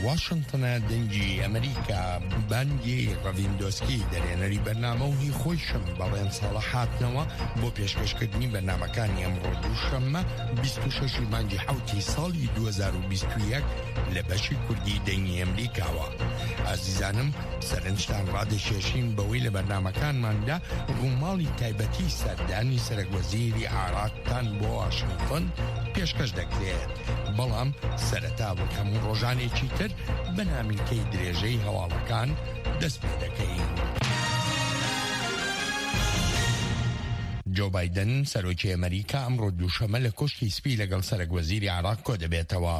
واشنتنە دەنگی ئەمریکا بانگی ڕەڤیندۆسکی دەرێنەری بەرنامە و هی خۆیشم بەڵێن ساڵە هاتنەوە بۆ پێشکەشکردنی بەرنامەکانی ئەمڕۆ دووشەممە 26 مانگی حوتی ساڵی 2021 لە بەشی کوردی دەنگی ئەمریکاوە. ئازیزانم سەرنجتان ڕادەکێشین بەوەی لە بەرنامەکانماندا ڕووماڵی تایبەتی سەردانی سەرەک وەزیری عێراقتان بۆ واشنتۆن پێشکەش دەکرێت. بەڵام سەرەتا وەک هەموو ڕۆژانێکی تر بە نامیلکەی درێژەی هەواڵەکان دەست پێ دەکەین. جۆ بایدن سەرۆکی ئەمریکا ئەمڕۆ دووشەمە لە کۆشکی سپی لەگەڵ سەرەک وەزیری عێراق کۆدەبێتەوە.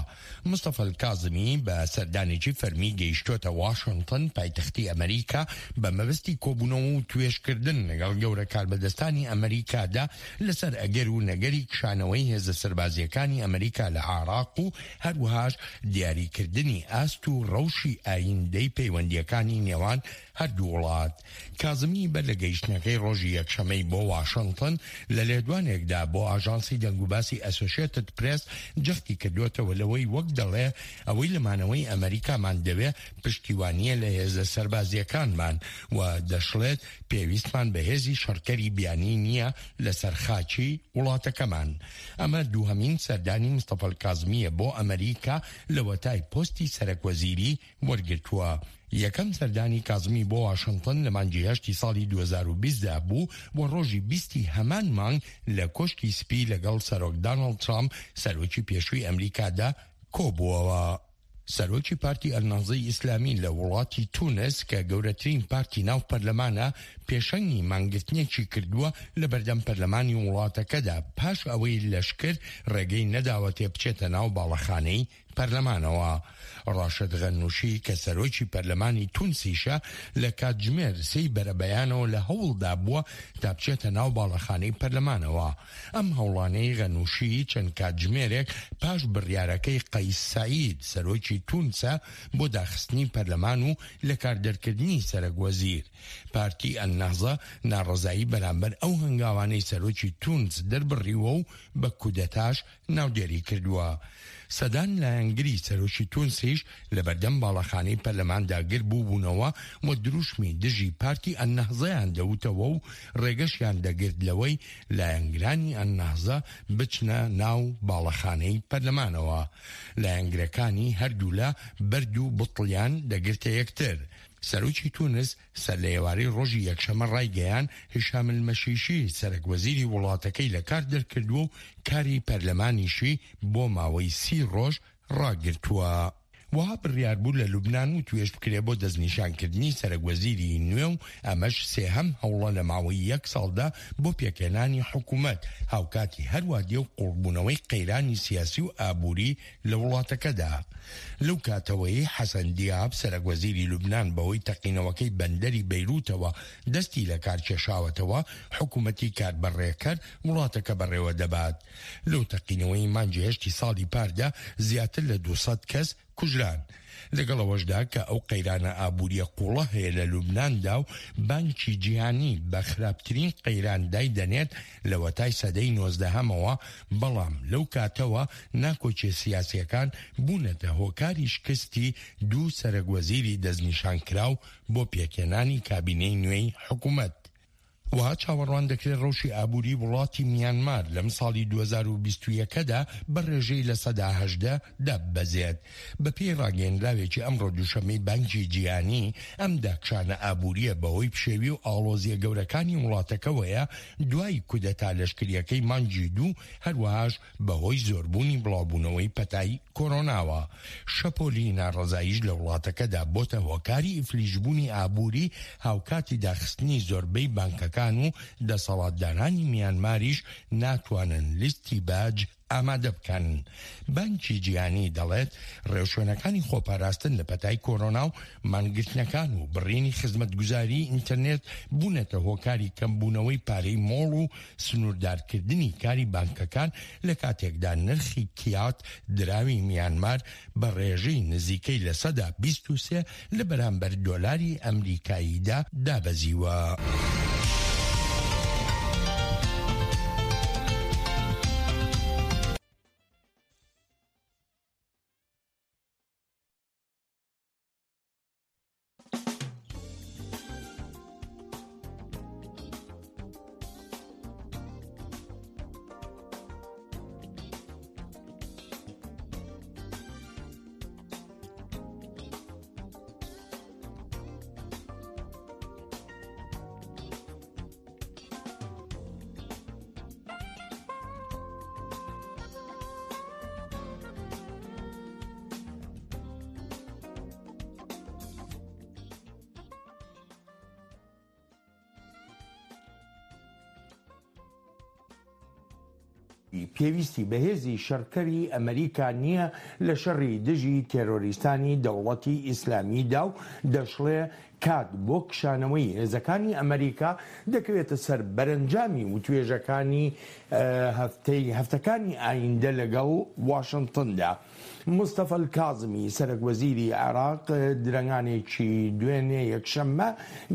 مستەفا الکازمی بە سەردانێکی فەرمی گەیشتۆتە واشنتن پایتەختی ئەمریکا بە مەبەستی کۆبوونەوە و توێژکردن لەگەڵ گەورە کاربەدەستانی ئەمریکادا لەسەر ئەگەر و نەگەری کشانەوەی هێزە سەربازییەکانی ئەمریکا لە عێراق و هەروەهاش دیاریکردنی ئاست و ڕەوشی ئایندەی پەیوەندییەکانی نێوان هەردوو وڵات. کازمی بەر لە گەیشتنەکەی ڕۆژی یەکشەمەی بۆ واشنتن لە لێدوانێکدا بۆ ئاژانسی دەنگوباسی ئەسۆشێتد پرێس جەختی کردووەتەوە لەوەی وەک دەڵێ ئەوەی لە مانەوەی ئەمریکامان دەوێ پشتیوانییە لە هێزە سەربازییەکانمان و دەشڵێت پێویستمان بە هێزی شەڕکەری بیانی نییە لەسەر خاکی وڵاتەکەمان. ئەمە دووهەمین سەردانی مستەفا کازمییە بۆ ئەمریکا لەوەتای پۆستی سەرەکوەزیری وەرگرتووە. یەکەم سەردانی کازمی بۆ واشنتن لە مانگی هەشتی ساڵی 2020 دا بوو و ڕۆژی بیستی هەمان مانگ لە کۆشکی سپی لەگەڵ سەرۆک دانۆڵد ترامپ سەرۆکی پێشووی ئەمریکادا کۆبووەوە. سەرۆکی پارتی ئەلنەهزەی ئیسلامی لە وڵاتی تونس کە گەورەترین پارتی ناو پەرلەمانە پێشەنگی مانگرتنێکی کردووە لە بەردەم پەرلەمانی وڵاتەکەدا پاش ئەوەی لەشکر ڕێگەی نەداوەتێ بچێتە ناو باڵەخانەی پەرلەمانەوە. ڕاشد غەنوشی کە سەرۆکی پەرلەمانی تونسیشە لە کاتژمێر سێی بەرەبەیانەوە لە هەوڵدا بووە تا بچێتە ناو باڵەخانەی پەرلەمانەوە. ئەم هەوڵانەی غەنوشی چەند کاتژمێرێک پاش بڕیارەکەی قەیس سەعید سەرۆکی تونسە بۆ داخستنی پەرلەمان و لەکاردەرکردنی سەرەک وەزیر. پارتی ئەلنەهزە ناڕەزایی بەرامبەر ئەو هەنگاوانەی سەرۆکی تونس دەربڕیوە و بە کودەتاش ناودێری کردووە. سەدان لایەنگری سەرۆکی تونسیش لەبەردەم باڵەخانەی پەرلەماندا گربووبوونەوە و دروشمی دژی پارتی ئەلنەهزەیان دەوتەوە و ڕێگەشیان دەگرت لەوەی لایەنگرانی ئەلنەهزە بچنە ناو باڵەخانەی پەرلەمانەوە. لایەنگرەکانی هەردوولا بەرد و بتڵیان دەگرتە یەکتر. سەرۆکی تونس سەرلەئێوارەی ڕۆژی یەکشەممە ڕایگەیاند، هیشام المەشیشی سەرەک وەزیری وڵاتەکەی لەکار دەرکردووە و کاری پەرلەمانیشی بۆ ماوەی سی ڕۆژ ڕاگرتووە. وەها بڕیار بوو لە لوبنان وتوێژ بکرێ بۆ دەستنیشانکردنی سەرەک وەزیری نوێ و ئەمەش سێهەم هەوڵە لە ماوەی یەک ساڵدا بۆ پێکهێنانی حکومەت، هاوکاتی هەروا دێ و قوڵبوونەوەی قەیرانی سیاسی و ئابووری لە وڵاتەکەدا. لەو کاتەوەی حەسەن دیاب سەرەک وەزیری لوبنان بەهۆی تەقینەوەکەی بەندەری بەیروتەوە دەستی لەکارکێشاوەتەوە، حکومەتی کاربەڕێکەر وڵاتەکە بەڕێوەدەبات. لەو تەقینەوەی مانگی هەشتی ساڵی پاردا زیاتر لە 200 کەس کوژران. لەگەڵ ئەوەشدا کە ئەو قەیرانە ئابوورییە قووڵە هەیە لە لوبناندا و بانکی جیهانی بە خراپترین قەیران دایدەنێت لەوەتای سەدەی نۆزدەهەمەوە، بەڵام لەو کاتەوە ناکۆکیە سیاسییەکان بوونەتە هۆکاری شکستی دوو سەرەک وەزیری دەستنیشانکراو بۆ پێکهێنانی کابینەی نوێی حکومەت. وەها چاوەڕوان دەکرێت ڕەوشی ئابووری وڵاتی میانمار لەم ساڵی 2021 دا بە ڕێژەی 18% داببەزێت. بەپێی ڕاگەیەنراوێکی ئەمڕۆ دووشەممەی بانکی جیهانی، ئەم داکشانە ئابوورییە بەهۆی پشێوی و ئاڵۆزییە گەورەکانی وڵاتەکەوەیە دوای کودەتا لەشکرییەکەی مانگی دوو، هەروەهاش بەهۆی زۆربوونی بڵاوبوونەوەی پەتای کۆرۆناوە. شەپۆلی ناڕەزاییش لە وڵاتەکەدا بۆتە هۆکاری ئیفلیجبوونی ئابووری، هاوکاتی داخستنی زۆربەی بانکەکان و دەسەڵاتدارانی میانماریش ناتوانن لیستی باج ئامادە بکەن. بانکی جیهانی دەڵێت، ڕێوشوێنەکانی خۆپاراستن لە پەتای کۆرۆنا و مانگرتنەکان و بڕینی خزمەتگوزاریی ئینتەرنێت بوونەتە هۆکاری کەمبوونەوەی پارەی مۆڵ و سنووردارکردنی کاری بانکەکان لە کاتێکدا نرخی کیات دراوی میانمار بە ڕێژەی نزیکەی 23% لە بەرامبەر دۆلاری ئەمریکاییدا دابەزیوە. پێویستی بە هێزی شەڕکەری ئەمریکا نییە لە شەڕی دژی تێرۆریستانی دەوڵەتی ئیسلامیدا و دەشڵێ کات بۆ کشانەوەی هێزەکانی ئەمریکا دەکەوێتە سەر بەرەنجامی وتوێژەکانی هەفتەی هەفتەکانی ئایندە لەگەڵ واشنتندا. مستەفا الکازمی سەرەک وەزیری عێراق درەنگانێکی دوێنێ یەکشەممە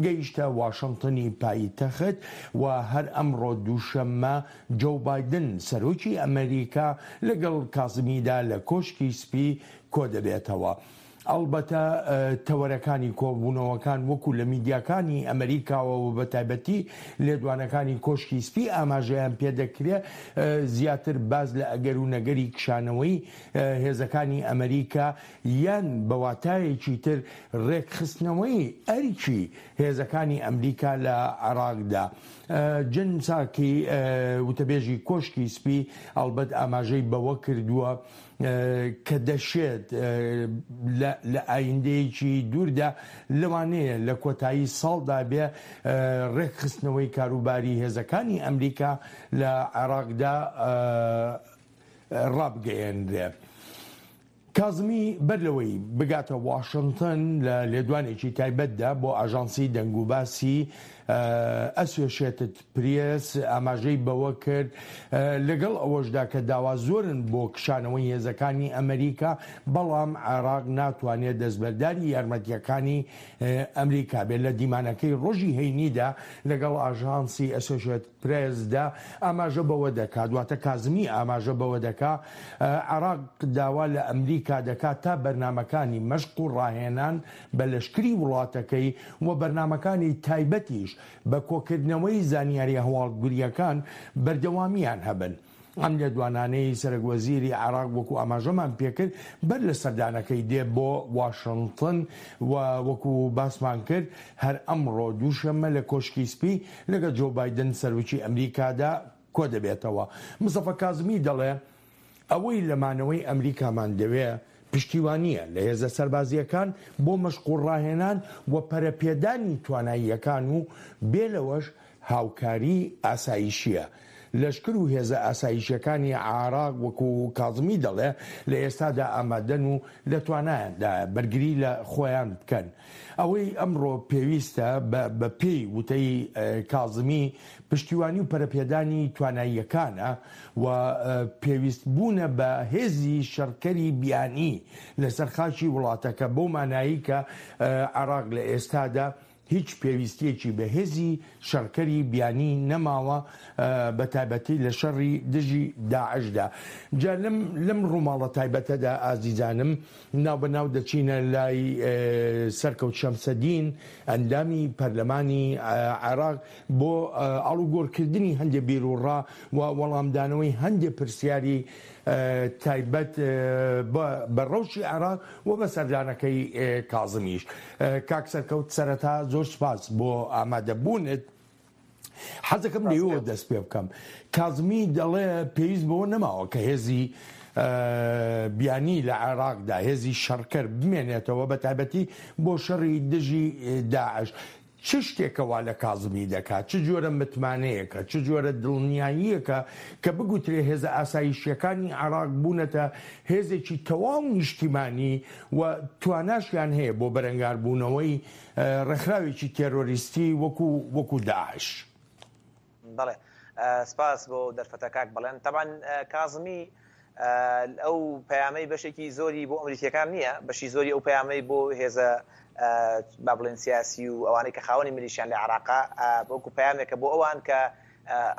گەیشتە واشنتنی پایتەخت و هەر ئەمڕۆ دووشەممە جۆو بایدن سەرۆکی ئەمریکا لەگەڵ کازمیدا لە کۆشکی سپی کۆدەبێتەوە. ئەڵبەتە تەوەرەکانی کۆبوونەوەکان وەکو لە میدیاکانی ئەمریکاوە و بەتایبەتی لێدوانەکانی کۆشکی سپی ئاماژەیان پێدەکرێ زیاتر باس لە ئەگەر و نەگەری کشانەوەی هێزەکانی ئەمریکا یان بە واتایەکی تر ڕێکخستنەوەی ئەرکی هێزەکانی ئەمریکا لە عێراقدا. جن ساکی وتەبێژی کۆشکی سپی ئەڵبەت ئاماژەی بەوە کردووە کە دەشێت لە ئایندەیەکی دووردا لەوانەیە لە کۆتایی ساڵدا بێ ڕێکخستنەوەی کاروباری هێزەکانی ئەمریکا لە عێراقدا ڕابگەیەنرێ. کازمی بەر لەوەی بگاتە واشنتن لە لێدوانێکی تایبەتدا بۆ ئاژانسی دەنگوباسی ئەسۆشێتد پرێس ئاماژەی بەوە کرد، لەگەڵ ئەوەشدا کە داوا زۆرن بۆ کشانەوەی هێزەکانی ئەمریکا، بەڵام عێراق ناتوانێت دەستبەرداری یارمەتییەکانی ئەمریکا بێت. لە دیمانەکەی ڕۆژی هەینیدا لەگەڵ ئاژانسی ئەسۆشێتد پرێسدا ئاماژە بەوە دەکات، واتە کازمی ئاماژە بەوە دەکا، عێراق داوا لە ئەمریکا دەکات تا بەرنامەکانی مەشق و ڕاهێنان بە لەشکری وڵاتەکەی و بەرنامەکانی تایبەتیش بە کۆکردنەوەی زانیاریە هەواڵگرییەکان بەردەوامییان هەبن. ئەم لێدوانانەی سەرەک وەزیری عێراق وەکو ئاماژەمان پێکرد بەر لە سەردانەکەی دێ بۆ واشنتن و وەکو باسمان کرد هەر ئەمڕۆ دووشەممە لە کۆشکی سپی لەگەڵ جۆ بایدن سەرۆکی ئەمریکادا کۆدەبێتەوە. مستەفا کازمی دەڵێ، ئەوەی لە مانەوەی ئەمریکامان دەوێ پشتیوانییە لە هێزە سەربازییەکان بۆ مەشق و ڕاهێنان و پەرەپێدانی تواناییەکان و بێ لەوەش هاوکاریی ئاسایشییە. لەشکر و هێزە ئاسایشییەکانی عێراق وەکو کازمی دەڵێ لە ئێستادا ئامادەن و لە توانایاندایە بەرگری لە خۆیان بکەن. ئەوەی ئەمڕۆ پێویستە بە بە پێی وتەی کازمی پشتیوانی و پەرەپێدانی تواناییەکانە و پێویست بوونە بە هێزی شەڕکەری بیانی لەسەر خاکی وڵاتەکە بەو مانایەی کە عێراق لە ئێستادا هیچ پێویستیەکی بە هێزی شەڕکەری بیانی نەماوە بە تایبەتی لە شەڕی دژی داعشدا. جا لەم لەم ڕووماڵە تایبەتەدا ئازیزانم ناوبەناو دەچینە لای سەرکەوت شەمسەدین ئەندامی پەرلەمانی عێراق بۆ ئاڵوگۆڕکردنی هەندێ بیروڕا و وەڵامدانەوەی هەندێ پرسیاری تایبەت بە ڕەوشی عێراق و بە سەردانەکەی کازمیش. کاک سەرکەوت سەرەتا زۆر سوپاس بۆ ئامادەبوونت. حەزەکەم لێوە دەست پێ بکەم. کازمی دەڵێ پێویست بەوە نەماوە کە هێزی بیانی لە عێراقدا هێزی شەڕکەر بمێنێتەوە بە تایبەتی بۆ شەڕی دژی داعش. چ شتێکە وا لە کازمی دەکات؟ چ جۆرە متمانەیەکە؟ چ جۆرە دڵنیاییەکە کە بگوترێ هێزە ئاسایشییەکانی عێراق بوونەتە هێزێکی تەواو نیشتیمانی و تواناشیان هەیە بۆ بەرەنگاربوونەوەی ڕێکخراوێکی تێرۆریستی وەکو وەکو داعش؟ بەڵێ سپاس بۆ دەرفەتە کاک بەڵێن. تەبعەن کازمی ئەو پەیامەی بەشێکی زۆری بۆ ئەمریکیەکان نییە، بەشی زۆری ئەو پەیامەی بۆ هێزە با بڵێن سیاسی و ئەوانەی کە خاوەنی میلیشیان لە عێراقا وەکو پەیامێکە بۆ ئەوان کە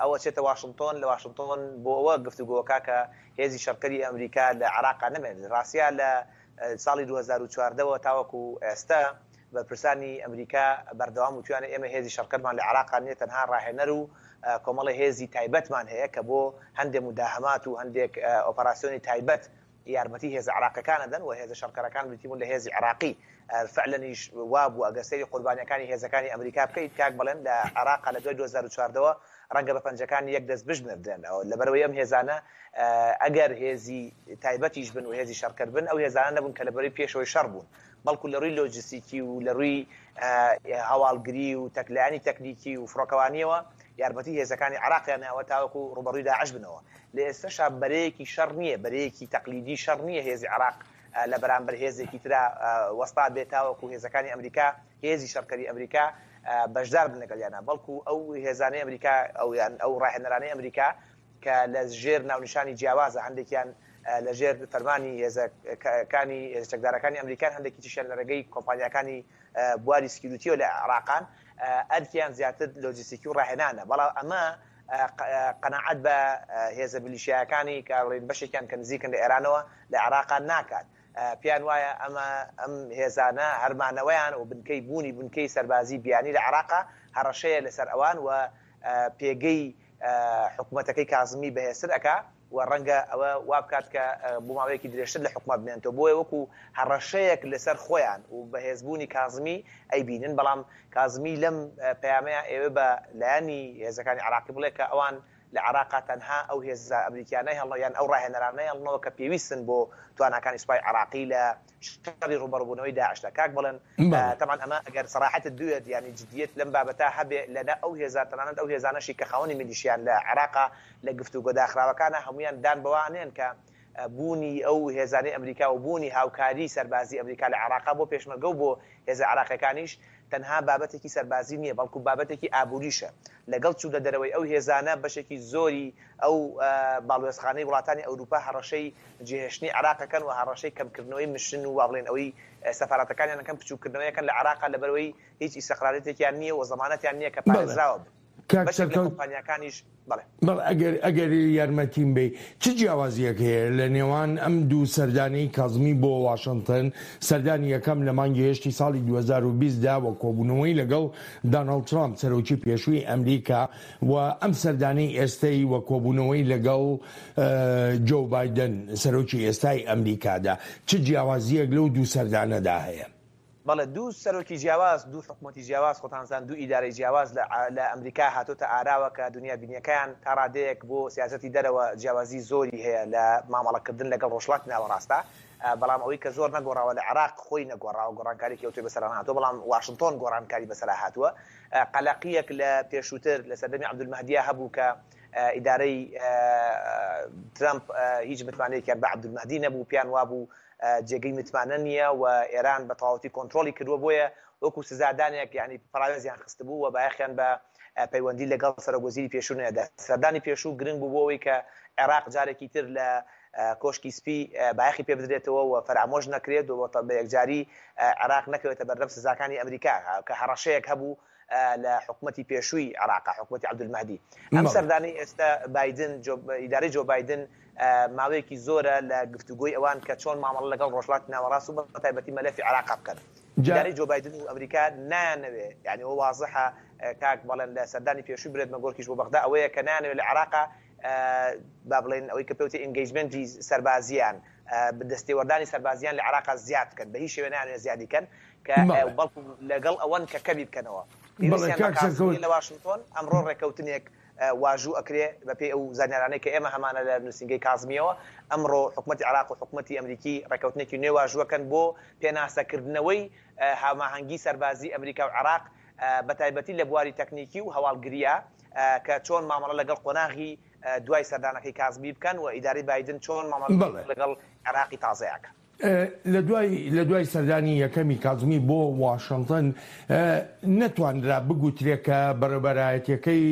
ئەوە چێتە واشنتۆن لە واشنتۆن بۆ ئەوە گفتوگۆکە کە هێزی شەڕکەری ئەمریکا لە عێراقا نەمێنێت. ڕاستیا لە ساڵی 2014 وە تاوەکو ئێستا بەرپرسانی ئەمریکا بەردەوام وتویانە ئێمە هێزی شەڕکەرمان لە عێراقا نیە تەنها ڕاهێنەر و کۆمەڵی هێزی تایبەتمان هەیە کە بۆ هەندێک موداهەمات و هەندێک ئۆپەراسیۆنی تایبەت یارمەتی هێزە عێراقیەکان ئەدەن و هێزە شەڕکەرەکان بریتی بوون لە هێزی عێراقی فعلەنیش وابوو ئەگەر سەیری قوربانیەکانی هێزەکانی ئەمریکا بکەیت کاک بەڵێن لە عێراقا لە دوای 2014 وە ڕەنگە بە پەنجەکانی یەک دەست بژمێردرێن لەبەرئەوەی ئەم هێزانە ئەگەر هێزی تایبەتیش بن و هێزی شەڕکەر بن ئەو هێزانە نەبوون کە لە بەرەی پێشەوەی شەڕ بوون بەڵکو لە ڕووی لۆجستیکی و لە ڕووی هەواڵگری و تەکلایەنی تەکنیکی و فڕۆکەوانیەوە. یارمەتی هێزەکانی عێراقیان ناوە تاوەکو ڕووبەڕووی داعش بنەوە. لە ئێستەشا بەرەیەکی شەڕ نییە، بەرەیەکی تەقلیدی شەڕ نییە هێزی عێراق لە بەرامبەر هێزێکی ترا وەستا بێت تاوەکو هێزەکانی ئەمریکا، هێزی شەڕکەری ئەمریکا بەشدار بن لەگەڵیانا، بەڵکو ئەو هێزانەی ئەمریکا ئەو یان ئەو ڕاهێنەرانەی ئەمریکا کە لە ژێر ناونیشانی جیاوازە هەندێکیان لە ژێر فەرمانی هێزەکانی هێزە چەکدارەکانی ئەمریکان هەندێکی تریشیان لە ڕێگەی کۆمپانیاکانی بواری سکیوریتیەوە لە عێراقان ئەرکیان زیاتر لۆجیستیکی و ڕاهێنانە بەڵام ئەمە قەناعەت بە هێزە میلیشیایەکانی کە بڵێین بەشێکیان کە نزیکن لە ئێرانەوە لە عێراقا ناکات پێیان وایە ئەمە ئەم هێزانە هەرمانەوەیان و بنکەی بوونی بنکەی سەربازی بیانی لە عێراقا هەڕەشەیە لەسەر ئەوان و پێگەی حکومەتەکەی کازمی بەهێزتر ئەکا و ڕەنگە ئەوە وابکات کە بۆ ماوەیەکی درێژتر لە حکومەت بمێنێتەوە، بۆیە وەکو هەڕەشەیەک لەسەر خۆیان و بەهێزبوونی کازمی ئەیبینن، بەڵام کازمی لەم پەیامەیا ئەیەوێ بە لایەنی هێزەکانی عێراقی بڵێ کە ئەوان لە عێراقا تەنها ئەو هێزە ئەمریکیانە هێڵنەوە یان ئەو ڕاهێنەرانە هێڵنەوە کە پێویستن بۆ تواناکانی سوپای عێراقی لە شەڕی ڕووبەڕووبوونەوەی داعشدا. کاک بەڵێن تەبعەن ئەمە ئەگەر سەراحەتت بوێت یانی جدیەت لەم بابەتە هەبێ لە نە ئەو هێزە تەنانەت ئەو هێزانەشی کە خاوەنی میلیشیان لە عێراقا لە گفتوگۆ داخراوەکانا هەموویان دان بەوە ئەنێن کە بوونی ئەو هێزانەی ئەمریکا و بوونی هاوکاری سەربازی ئەمریکا لە عێراقا بۆ پێشمەرگە و بۆ هێزە عێراقیەکانیش تەنها بابەتێکی سەربازی نییە، بەڵکو بابەتێکی ئابووریشە. لەگەڵ چوونە دەرەوەی ئەو هێزانە، بەشێکی زۆری ئەو باڵوێزخانەی وڵاتانی ئەوروپا هەڕەشەی جێهێشتنی عێراق ئەکەن و هەڕەشەی کەمکردنەوەی مشن و وا بڵێین ئەوەی سەفارەتەکانیان ئەکەن بچووککردنەوەی ئەکەن لە عێراقا لەبەرئەوەی هیچ ئیستقرارێتێکیان نییە و زەمانەتیان نییە کە پارێزراوە بن. کاک بەشێک لە سەرکەوت کۆمپانیاکانیش بەڵێ. بەڵێ ئەگەر ئەگەر یارمەتیم بەی چ جیاوازیەک هەیە لە نێوان ئەم دوو سەردانەی کازمی بۆ واشنتن سەردانی یەکەم لە مانگی هەشتی ساڵی 2020 دا و کۆبوونەوەی لەگەڵ داناڵد ترامپ سەرۆکی پێشووی ئەمریکا و ئەم سەردانەی ئێستەی و کۆبوونەوەی لەگەڵ جۆو بایدن سەرۆکی ئێستای ئەمریکادا چ جیاوازیەک لەو دوو سەردانەدا هەیە؟ بەڵێ دوو سەرۆکی جیاواز، دوو حکومەتی جیاواز، خۆتان زان دوو ئیدارەی جیاواز لە لە ئەمریکا هاتۆتە ئاراوە کە دونیا بینیەکەیان تا ڕادەیەک بۆ سیاسەتی دەرەوە جیاوازی زۆری هەیە لە مامەڵە کردن لەگەڵ ڕۆژهەڵاتی ناوەڕاستا بەڵام ئەوەی کە زۆر نەگۆڕاوە لە عێراق خۆی نەگۆڕاوە گۆڕانکاریەکی ئەوتۆی بەسەرا نەهاتووە بەڵام واشنتۆن گۆڕانکاری بەسەرا هاتووە قەلەقیەک لە پێشووتر لە سەردەمی عەبدولمەهدیا هەبوو کە ئیدارەی ترەمپ هیچ متمانەیەکیان بە عەبدولمەهدی نەبوو پێیان وابوو جێگەی متمانە نییە و ئێران بە تەواوەتی کۆنترۆڵی کردووە، بۆیە وەکو سزادانێک یانی پەراوێزیان خستبوو و بایەخیان بە پەیوەندی لەگەڵ سەرۆک وەزیری پێشوو نەدا. سەردانی پێشوو گرنگ بوو بۆ ئەوەی کە عێراق جارێکی تر لە کۆشکی سپی بایەخی پێ بدرێتەوە و فەرامۆش نەکرێت و بە یەکجاری عێراق نەکەوێتە بەردەم سزاکانی ئەمریکا کە هەڕەشەیەک هەبوو لە حکومەتی پێشووی عێراق، حکومەتی عەبدولمەهدی. ئەم سەردانەی ئێستا بایدن، ئیدارەی جۆ بایدن ماوەیەکی زۆرە لە گفتوگۆی ئەوان کە چۆن مامەڵە لەگەڵ ڕۆژهەڵاتی ناوەڕاست و بەتایبەتی مەلەفی عێراق بکەن. ئیدارەی جۆ بایدن و ئەمریکا نایانەوێ، یانی ئەوە وازحە کاک بەڵێن لە سەردانی پێشووی برێت مەگۆرکیش بۆ بەغدا ئەوەیە کە نایانەوێ لە عێراق با بڵێین ئەوەی کە پێوتێ engagement ی سەربازییان، دەستێوەردانی سەربازییان لە عێراق زیاد بکەن، بە هیچ شێوەیە نایانەوێ زیادی کەن. کە بەڵکو لەگەڵ ئەوەن کە کەمی بکەنەوە. پێویستیان بە کازمی لە واشنتۆن، ئەمڕۆ ڕێککەوتنێک واژوو ئەکرێ بەپێی ئەو زانیارانەی کە ئێمە هەمانە لە نووسینگەی کازمییەوە، ئەمڕۆ حکومەتی عێراق و حکومەتی ئەمریکی ڕێککەوتنێکی نوێ واژووەکەن بۆ پێناسەکردنەوەی هاوماهەنگی سەربازی ئەمریکا و عێراق بەتایبەتی لە بواری تەکنیکی و هەواڵگرییە کە چۆن مامەڵە لەگەڵ قۆناغی دوای سەردانەکەی کازمی بکەن و ئیدارەی بایدن چۆن مامەڵە لەگەڵ عێراقی تازەیە کە. لە دوای لە دوای سەردانی یەکەمی کازمی بۆ واشنتن نەتوانرا بگوترێ کە بەڕێوبەرایەتیەکەی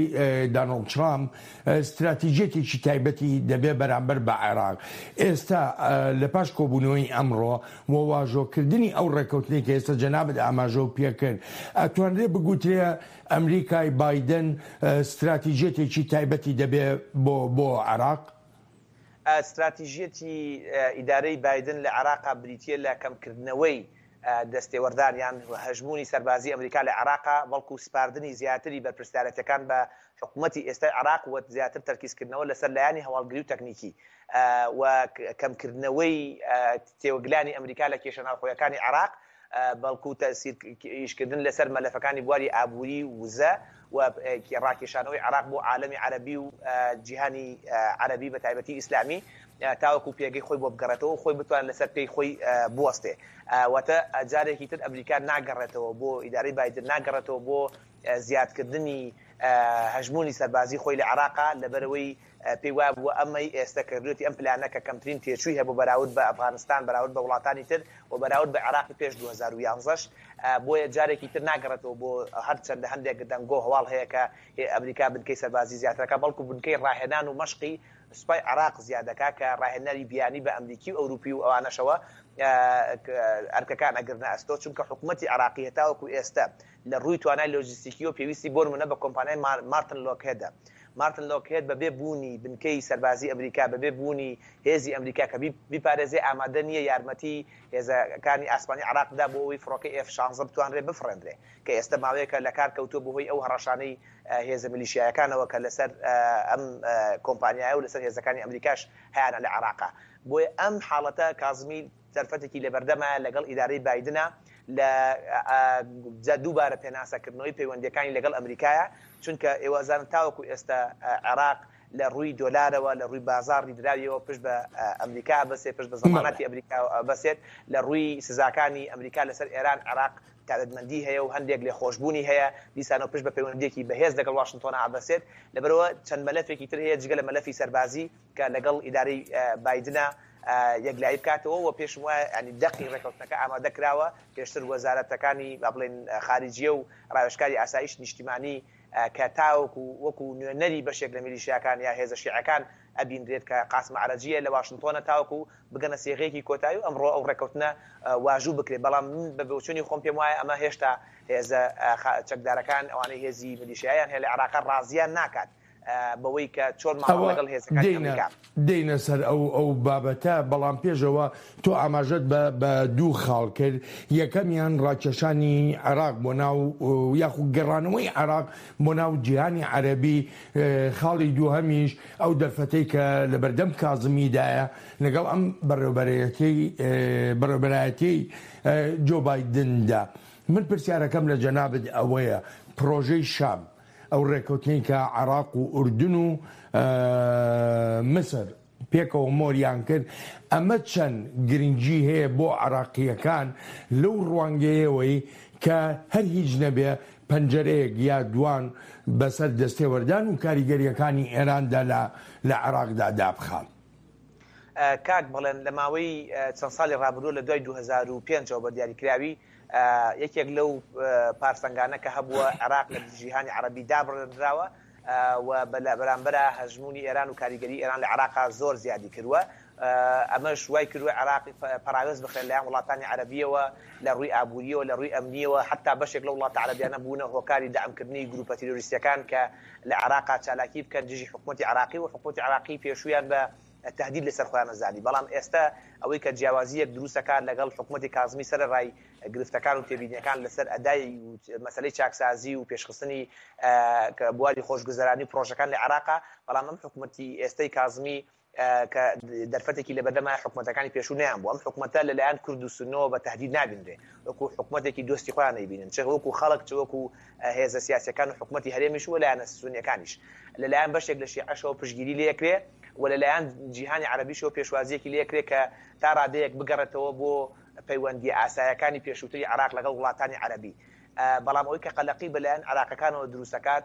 دانۆڵد ترامپ ستراتیجیەتێکی تایبەتی دەبێ بەرامبەر بە عێراق. ئێستا لە پاش کۆبوونەوەی ئەمڕۆ و واژۆکردنی ئەو ڕێککەوتنەی کە ئێستا جەنابت ئاماژەو پێکرد ئەتوانرێ بگوترێ ئەمریکای بایدن ستراتیجیەتێکی تایبەتی دەبێ بۆ بۆ عێراق؟ ستراتیژیەتی ئیدارەی بایدن لە عێراقا بریتییە لە کەمکردنەوەی دەستێوەردان یان هەژموونی سەربازی ئەمریکا لە عێراقا، بەڵکو سپاردنی زیاتری بەرپرسیارێتیەکان بە حکومەتی ئێستای عێراق و زیاتر تەرکیزکردنەوە لەسەر لایەنی هەواڵگری و تەکنیکی و کەمکردنەوەی تێوەگلانی ئەمریکا لە کێشە ناوخۆیەکانی عێراق. بەڵکو تەئسیر ئیشکردن لەسەر مەلەفەکانی بواری ئابووری و وزە و ڕاکێشانەوەی عێراق بۆ عالەمی عەرەبی و جیهانی عەرەبی بە تایبەتی ئیسلامی تاوەکو پێگەی خۆی بۆ بگەڕێتەوە و خۆی بتوانێت لەسەر پێی خۆی بوەستێ. واتە جارێکی تر ئەمریکا ناگەڕێتەوە بۆ ئیدارەی بایدن ناگەڕێتەوە بۆ زیادکردنی. هەژموونی سەربازی خۆی لە عێراقا، لەبەرئەوەی پێی وابووە ئەمەی ئێستە کردوویەتی ئەم پلانە کە کەمترین تێچووی هەبوو بەراورد بە ئەفغانستان، بەراورد بە وڵاتانی تر و بەراورد بە عێراقی پێش 2011 ش، بۆیە جارێکی تر ناگەڕێتەوە بۆ هەرچەندە هەندێک دەنگۆ هەواڵ هەیە کە ئەمریکا بنکەی سەربازی زیاتر ئەکا، بەڵکو بنکەی ڕاهێنان و مەشقی سوپای عێراق زیاد دەکا کە ڕاهێنەری بیانی بە ئەمریکی و ئەوروپی و ئەوانەشەوە ئەرکەکان ئەگرنە ئەستۆ، چونکە حکومەتی عێراقی هەتاوەکو ئێستە لە ڕووی توانای لۆجستیکیەوە پێویستی بۆ نمونە بە کۆمپانیای مارتن لۆکهێدە. مارتن لۆکهێد بەبێ بوونی بنکەی سەربازی ئەمریکا، بەبێ بوونی هێزی ئەمریکا کە بیپارێزێ ئامادە نییە یارمەتی هێزەکانی ئاسمانی عێراق بدا بۆ ئەوەی فڕۆکەی ئێف 16 بتوانرێ بفڕێندرێ کە ئێستە ماوەیەکە لەکار کەوتووە بەهۆی ئەو هەڕەشانەی هێزە میلیشیایەکانەوە کە لەسەر ئەم کۆمپانیایە و لەسەر هێزەکانی ئەمریکاش هەیانە لە عێراقا. بۆیە ئەم حاڵەتە کازمی دەرفەتێکی لەبەردەمایە لەگەڵ ئیدارەی بایدنە لە دووبارە پێناسەکردنەوەی پەیوەندییەکانی لەگەڵ ئەمریکایە، چونکە ئێوە ئەزانن تاوەکو ئێستا عێراق لە ڕووی دۆلارەوە، لە ڕووی بازاڕی دراویەوە پشت بە ئەمریکا ئەبەسێت، پشت بە زەمانەتی ئەمریکا ئەبەسێت، لە ڕووی سزاکانی ئەمریکا لەسەر ئێران عێراق تایبەتمەندی هەیە و هەندێک لێخۆشبوونی هەیە، دیسانەوە پشت بە پەیوەندییەکی بەهێز لەگەڵ واشنتۆنا ئەبەسێت، لەبەرئەوە چەند مەلەفێکی تر هەیە جگە لە مەلەفی سەربازی کە لەگەڵ ئیدارەی بایدنا یەکلایی بکاتەوە و پێشم وایە یانی دەقی ڕێکەوتنەکە ئامادە کراوە، پێشتر وەزارەتەکانی با بڵێین خارجیە و ڕاوێژکاری ئاسایشی نیشتیمانی کە تاوەکو وەکو نوێنەری بەشێک لە میلیشیاکان یا هێزە شیعەکان ئەبینرێت کە قاسم عەرەجیە لە واشنتۆنە تاوەکو بگەنە سیغەیەکی کۆتایی و ئەمڕۆ ئەو ڕێکەوتنە واژوو بکرێت، بەڵام من بە بۆچوونی خۆم پێم وایە ئەمە هێشتا هێزە چەکدارەکان ئەوانەی هێزی میلیشیایان هەیە لە عێراقا ڕازیان ناکات بەوەی کە چۆن مامەڵە ئەوە لەگەڵ هێزەکانی دێینە ئەمریکا. دێینە سەر ئەو ئەو بابەتە، بەڵام پێش ئەوە تۆ ئاماژەت بە بە دوو خاڵ کرد، یەکەمیان ڕاکێشانی عێراق بۆ ناو یاخود گەڕانەوەی عێراق بۆ ناو جیهانی عەرەبی، خاڵی دووهەمیش ئەو دەرفەتەی کە لەبەردەم کازمیدایە لەگەڵ ئەم بەڕێوبەرەیەتیەی بەڕێوبەرایەتیەی جۆ بایدندا. من پرسیارەکەم لە جەنابت ئەوەیە پڕۆژەی شام ئەو ڕێککەوتنەی کە عێراق و ئوردن و میسر پێکەوە مۆریان کرد، ئەمە چەند گرنگی هەیە بۆ عێراقییەکان لەو ڕوانگەیەوەی کە هەر هیچ نەبێ پەنجەرەیەک یا دوان بەسەر دەستێوەردان و کاریگەرییەکانی ئێراندا لە عێراقدا دابخا؟ کاک بەڵێن لە ماوەی چەند ساڵی ڕابردووە لە دوای 2005 ەوە بە دیاریکراوی یەکێک لەو پارسەنگانە کە هەبووە عێراق لە جیهانی عەرەبی دابڕێنراوە و لە بەرامبەرا هەژموونی ئێران و کاریگەری ئێران لە عێراقا زۆر زیادی کردووە ئەمەش وای کردووە عێراق پەراوێز بخرێت لەلایەن وڵاتانی عەرەبیەوە لە ڕووی ئابووریەوە لە ڕووی ئەمنیەوە حتا بەشێک لەو وڵاتە عەرەبیانە بوونە هۆکاری دەعمکردنی گروپە تیرۆریستیەکان کە لە عێراقا چالاکی بکەن دژی حکومەتی عێراقی و حکومەتی عێراقی پێشوویان بە تەهدید لەسەر خۆیان ئەزانی بەڵام ئێستا ئەوەی کە جیاوازییەک دروست ئەکات لەگەڵ حکومەتی کازمی سەرەڕای گرفتەکان و تێبینیەکان لەسەر ئەدای و مەسەلەی چاکسازی و پێشخستنی بواری خۆشگوزەرانی و پرۆژەکان لە عێراقا بەڵام ئەم حکومەتی ئێستەی کازمی کە دەرفەتێکی لەبەردەمایە حکومەتەکانی پێشوو نەیان بوو ئەم حکومەتە لەلایەن کورد و سوننەوە بە تەهدید نابینرێ وەکو حکومەتێکی دۆستی خۆیان نەیبینن چ وەکو خەڵک چ وەکو هێزە سیاسیەکان و حکومەتی هەرێمیش و لایەنە سونیەکانیش لەلایەن بەشێک لە شیعەشەوە پشتگیری لێکرێ و لەلایەن جیهانی عەرەبیشەوە پێشوازیەکی لێکرێ کە تا ڕادەیەک بگەڕێتەوە بۆ پەیوەندیە ئاسایەکانی پێشووتری عێراق لەگەڵ وڵاتانی عەرەبی بەڵام ئەوەی کە قەلەقی بەلایەن عێراقەکانەوە دروستەکات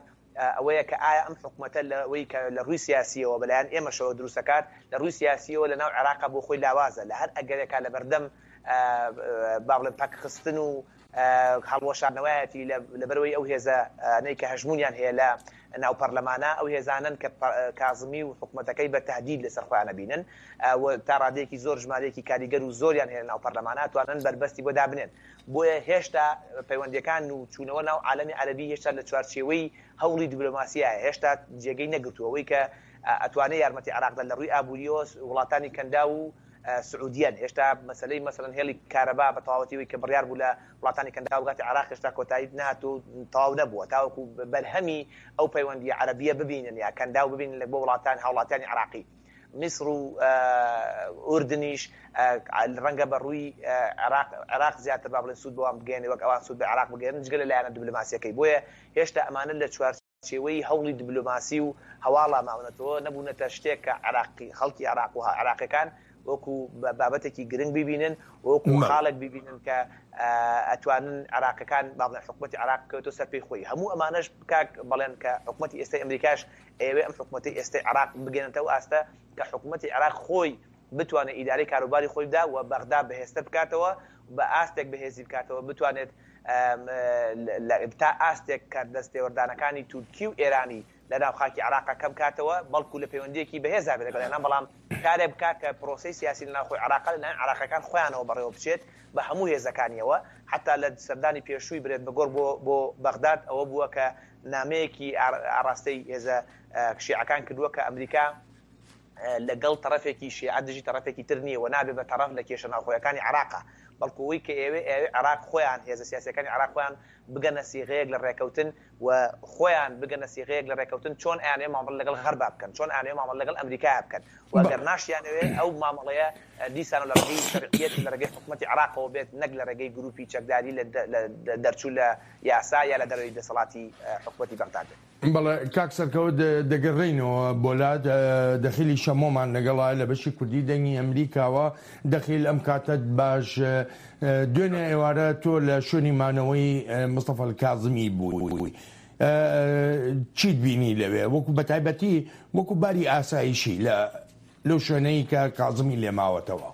ئەوەیە کە ئایا ئەم حکومەتە لەوەی کە لە ڕووی سیاسیەوە بەلایەن ئێمەشەوە دروستەکات لە ڕووی سیاسیەوە لەناو عێراقا بۆ خۆی لاوازە لە هەر ئەگەرێکا لەبەردەم با بڵێم پەکخستن و هەڵوەشاندنەوەیەتی لەبەرئەوەی ئەو هێزانەی کە هەژموونیان هەیە لە ناو پەرلەمانە ئەو هێزانەن کە کازمی و حکومەتەکەی بە تهدید لەسەر خۆیان ئەبینن و تا ڕادەیەکی زۆر ژمارەیەکی کاریگەر و زۆریان هەیە لە ناو پەرلەمانە ئەتوانن بەربەستی بۆ دابنێن بۆیە هێشتا پەیوەندیەکان و چوونەوە ناو عالەمی عەرەبی هێشتا لە چوارچێوەی هەوڵی دیبلۆماسیایە هێشتا جێگەی نەگرتووە ئەوەی کە ئەتوانێ یارمەتی عێراق دەن لە ڕووی ئابووریەوە وڵاتانی کەنداو و سعودیەن، هێشتا مەسەلەی مەسەلەن هێڵی کارەبا بە تەواوەتی ئەوەی کە بڕیار بوو لە وڵاتانی کەنداو بگاتە عێراق هێشتا کۆتایی نەهاتووە و تەواو نەبووە تاوەکو بەرهەمی ئەو پەیوەندییە عەرەبییە ببینن یا کەنداو ببینن لە بۆ وڵاتان هاوڵاتیانی عێراقی. میسر و ئوردنیش ڕەنگە بە ڕووی عێراق عێراق زیاتر با بڵێن سوود بەوان بگەیەنێ وەک ئەوان سوود بە عێراق بگەیەنن جگە لە لایەنە دیبلۆماسییەکەی بۆیە هێشتا ئەمانە لە چوار چێوەی هەوڵی دبلۆماسی و هەواڵا ماونەتەوە، نەبوونەتە شتێک کە عێراقی خەڵکی عێراق و عێراقیەکان وەکو بابەتێکی گرنگ بیبینن وەکو خاڵێک بیبینن کە ئەتوانن عێراقەکان با بڵێن حکومەتی عێراق بکەوێتەوە سەر پێی خۆی. هەموو ئەمانەش کاک بەڵێن کە حکومەتی ئێستای ئەمریکاش ئەیەوێ ئەم حکومەتەی ئێستای عێراق بگەنێتە ئەو ئاستە کە حکومەتی عێراق خۆی بتوانێت ئیدارەی کاروباری خۆی بدا و بەغدا بەهێزتر بکاتەوە بە ئاستێک بەهێزی بکاتەوە بتوانێت تا ئاستێک کە دەستێوەردانەکانی تورکی و ئێرانی لە ناو خاکی عێراقا کەم کاتەوە، بەڵکو لە پەیوەندییەکی بەهێزدا بێت لەگەڵیانا، بەڵام کارێک بکات کە پرۆسەی سیاسی لە ناوخۆی عێراقا لەلایەن عێراقییەکان خۆیانەوە بەڕێوە بچێت بە هەموو هێزەکانییەوە، حەتا لە سەردانی پێشووی برێت مەگۆرک بۆ بۆ بەغداد ئەوە بووە کە نامەیەکی ئاڕاستەی هێزە شیعەکان کردووە کە ئەمریکا لەگەڵ تەڕەفێکی شیعە دژی تەڕەفێکی تر نییە و نابێ بە تەڕەف لە کێشە ناوخۆیەکانی عێراقا، بەڵکو ئەوەی کە ئەیەوێ ئەیەوێ عێراق خۆیان هێزە سیاسییەکانی عێراق خۆیان بگەنە سیغەیەک لە ڕێکەوتن و خۆیان بگەنە سیغەیەک لە ڕێکەوتن چۆن ئەیانەوێ مامەڵە لەگەڵ غەربا بکەن، چۆن ئەیانەوێ مامەڵە لەگەڵ ئەمریکایا بکەن و ئەگەر ناشیانەوێ ئەو مامەڵەیە دیسانەوە لە ڕێگەی شەرعیەت لە ڕێگەی حکومەتی عێراقەوە بێت نەک لە ڕێگەی گروپی چەکداری لە دەرچوو لە یاسا یا لە دەرەوەی دەسەڵاتی حکومەتی بەغداد بێت. بەڵێ کاک سەرکەوت دەگەڕێینەوە بۆ لات دەخیلی شەمۆمان لەگەڵە لە بەشی کوردی دەنگی ئەمریکاوە دەخیل ئەم کاتەت باش دوێنێ ئێوارە تۆ لە شوێنی مانەوەی مستەفا کازمی بووی چیت بینی لەوێ وەکو بەتایبەتی وەکو باری ئاسایشی لە لەو شوێنەی کە کازمی لێماوەتەوە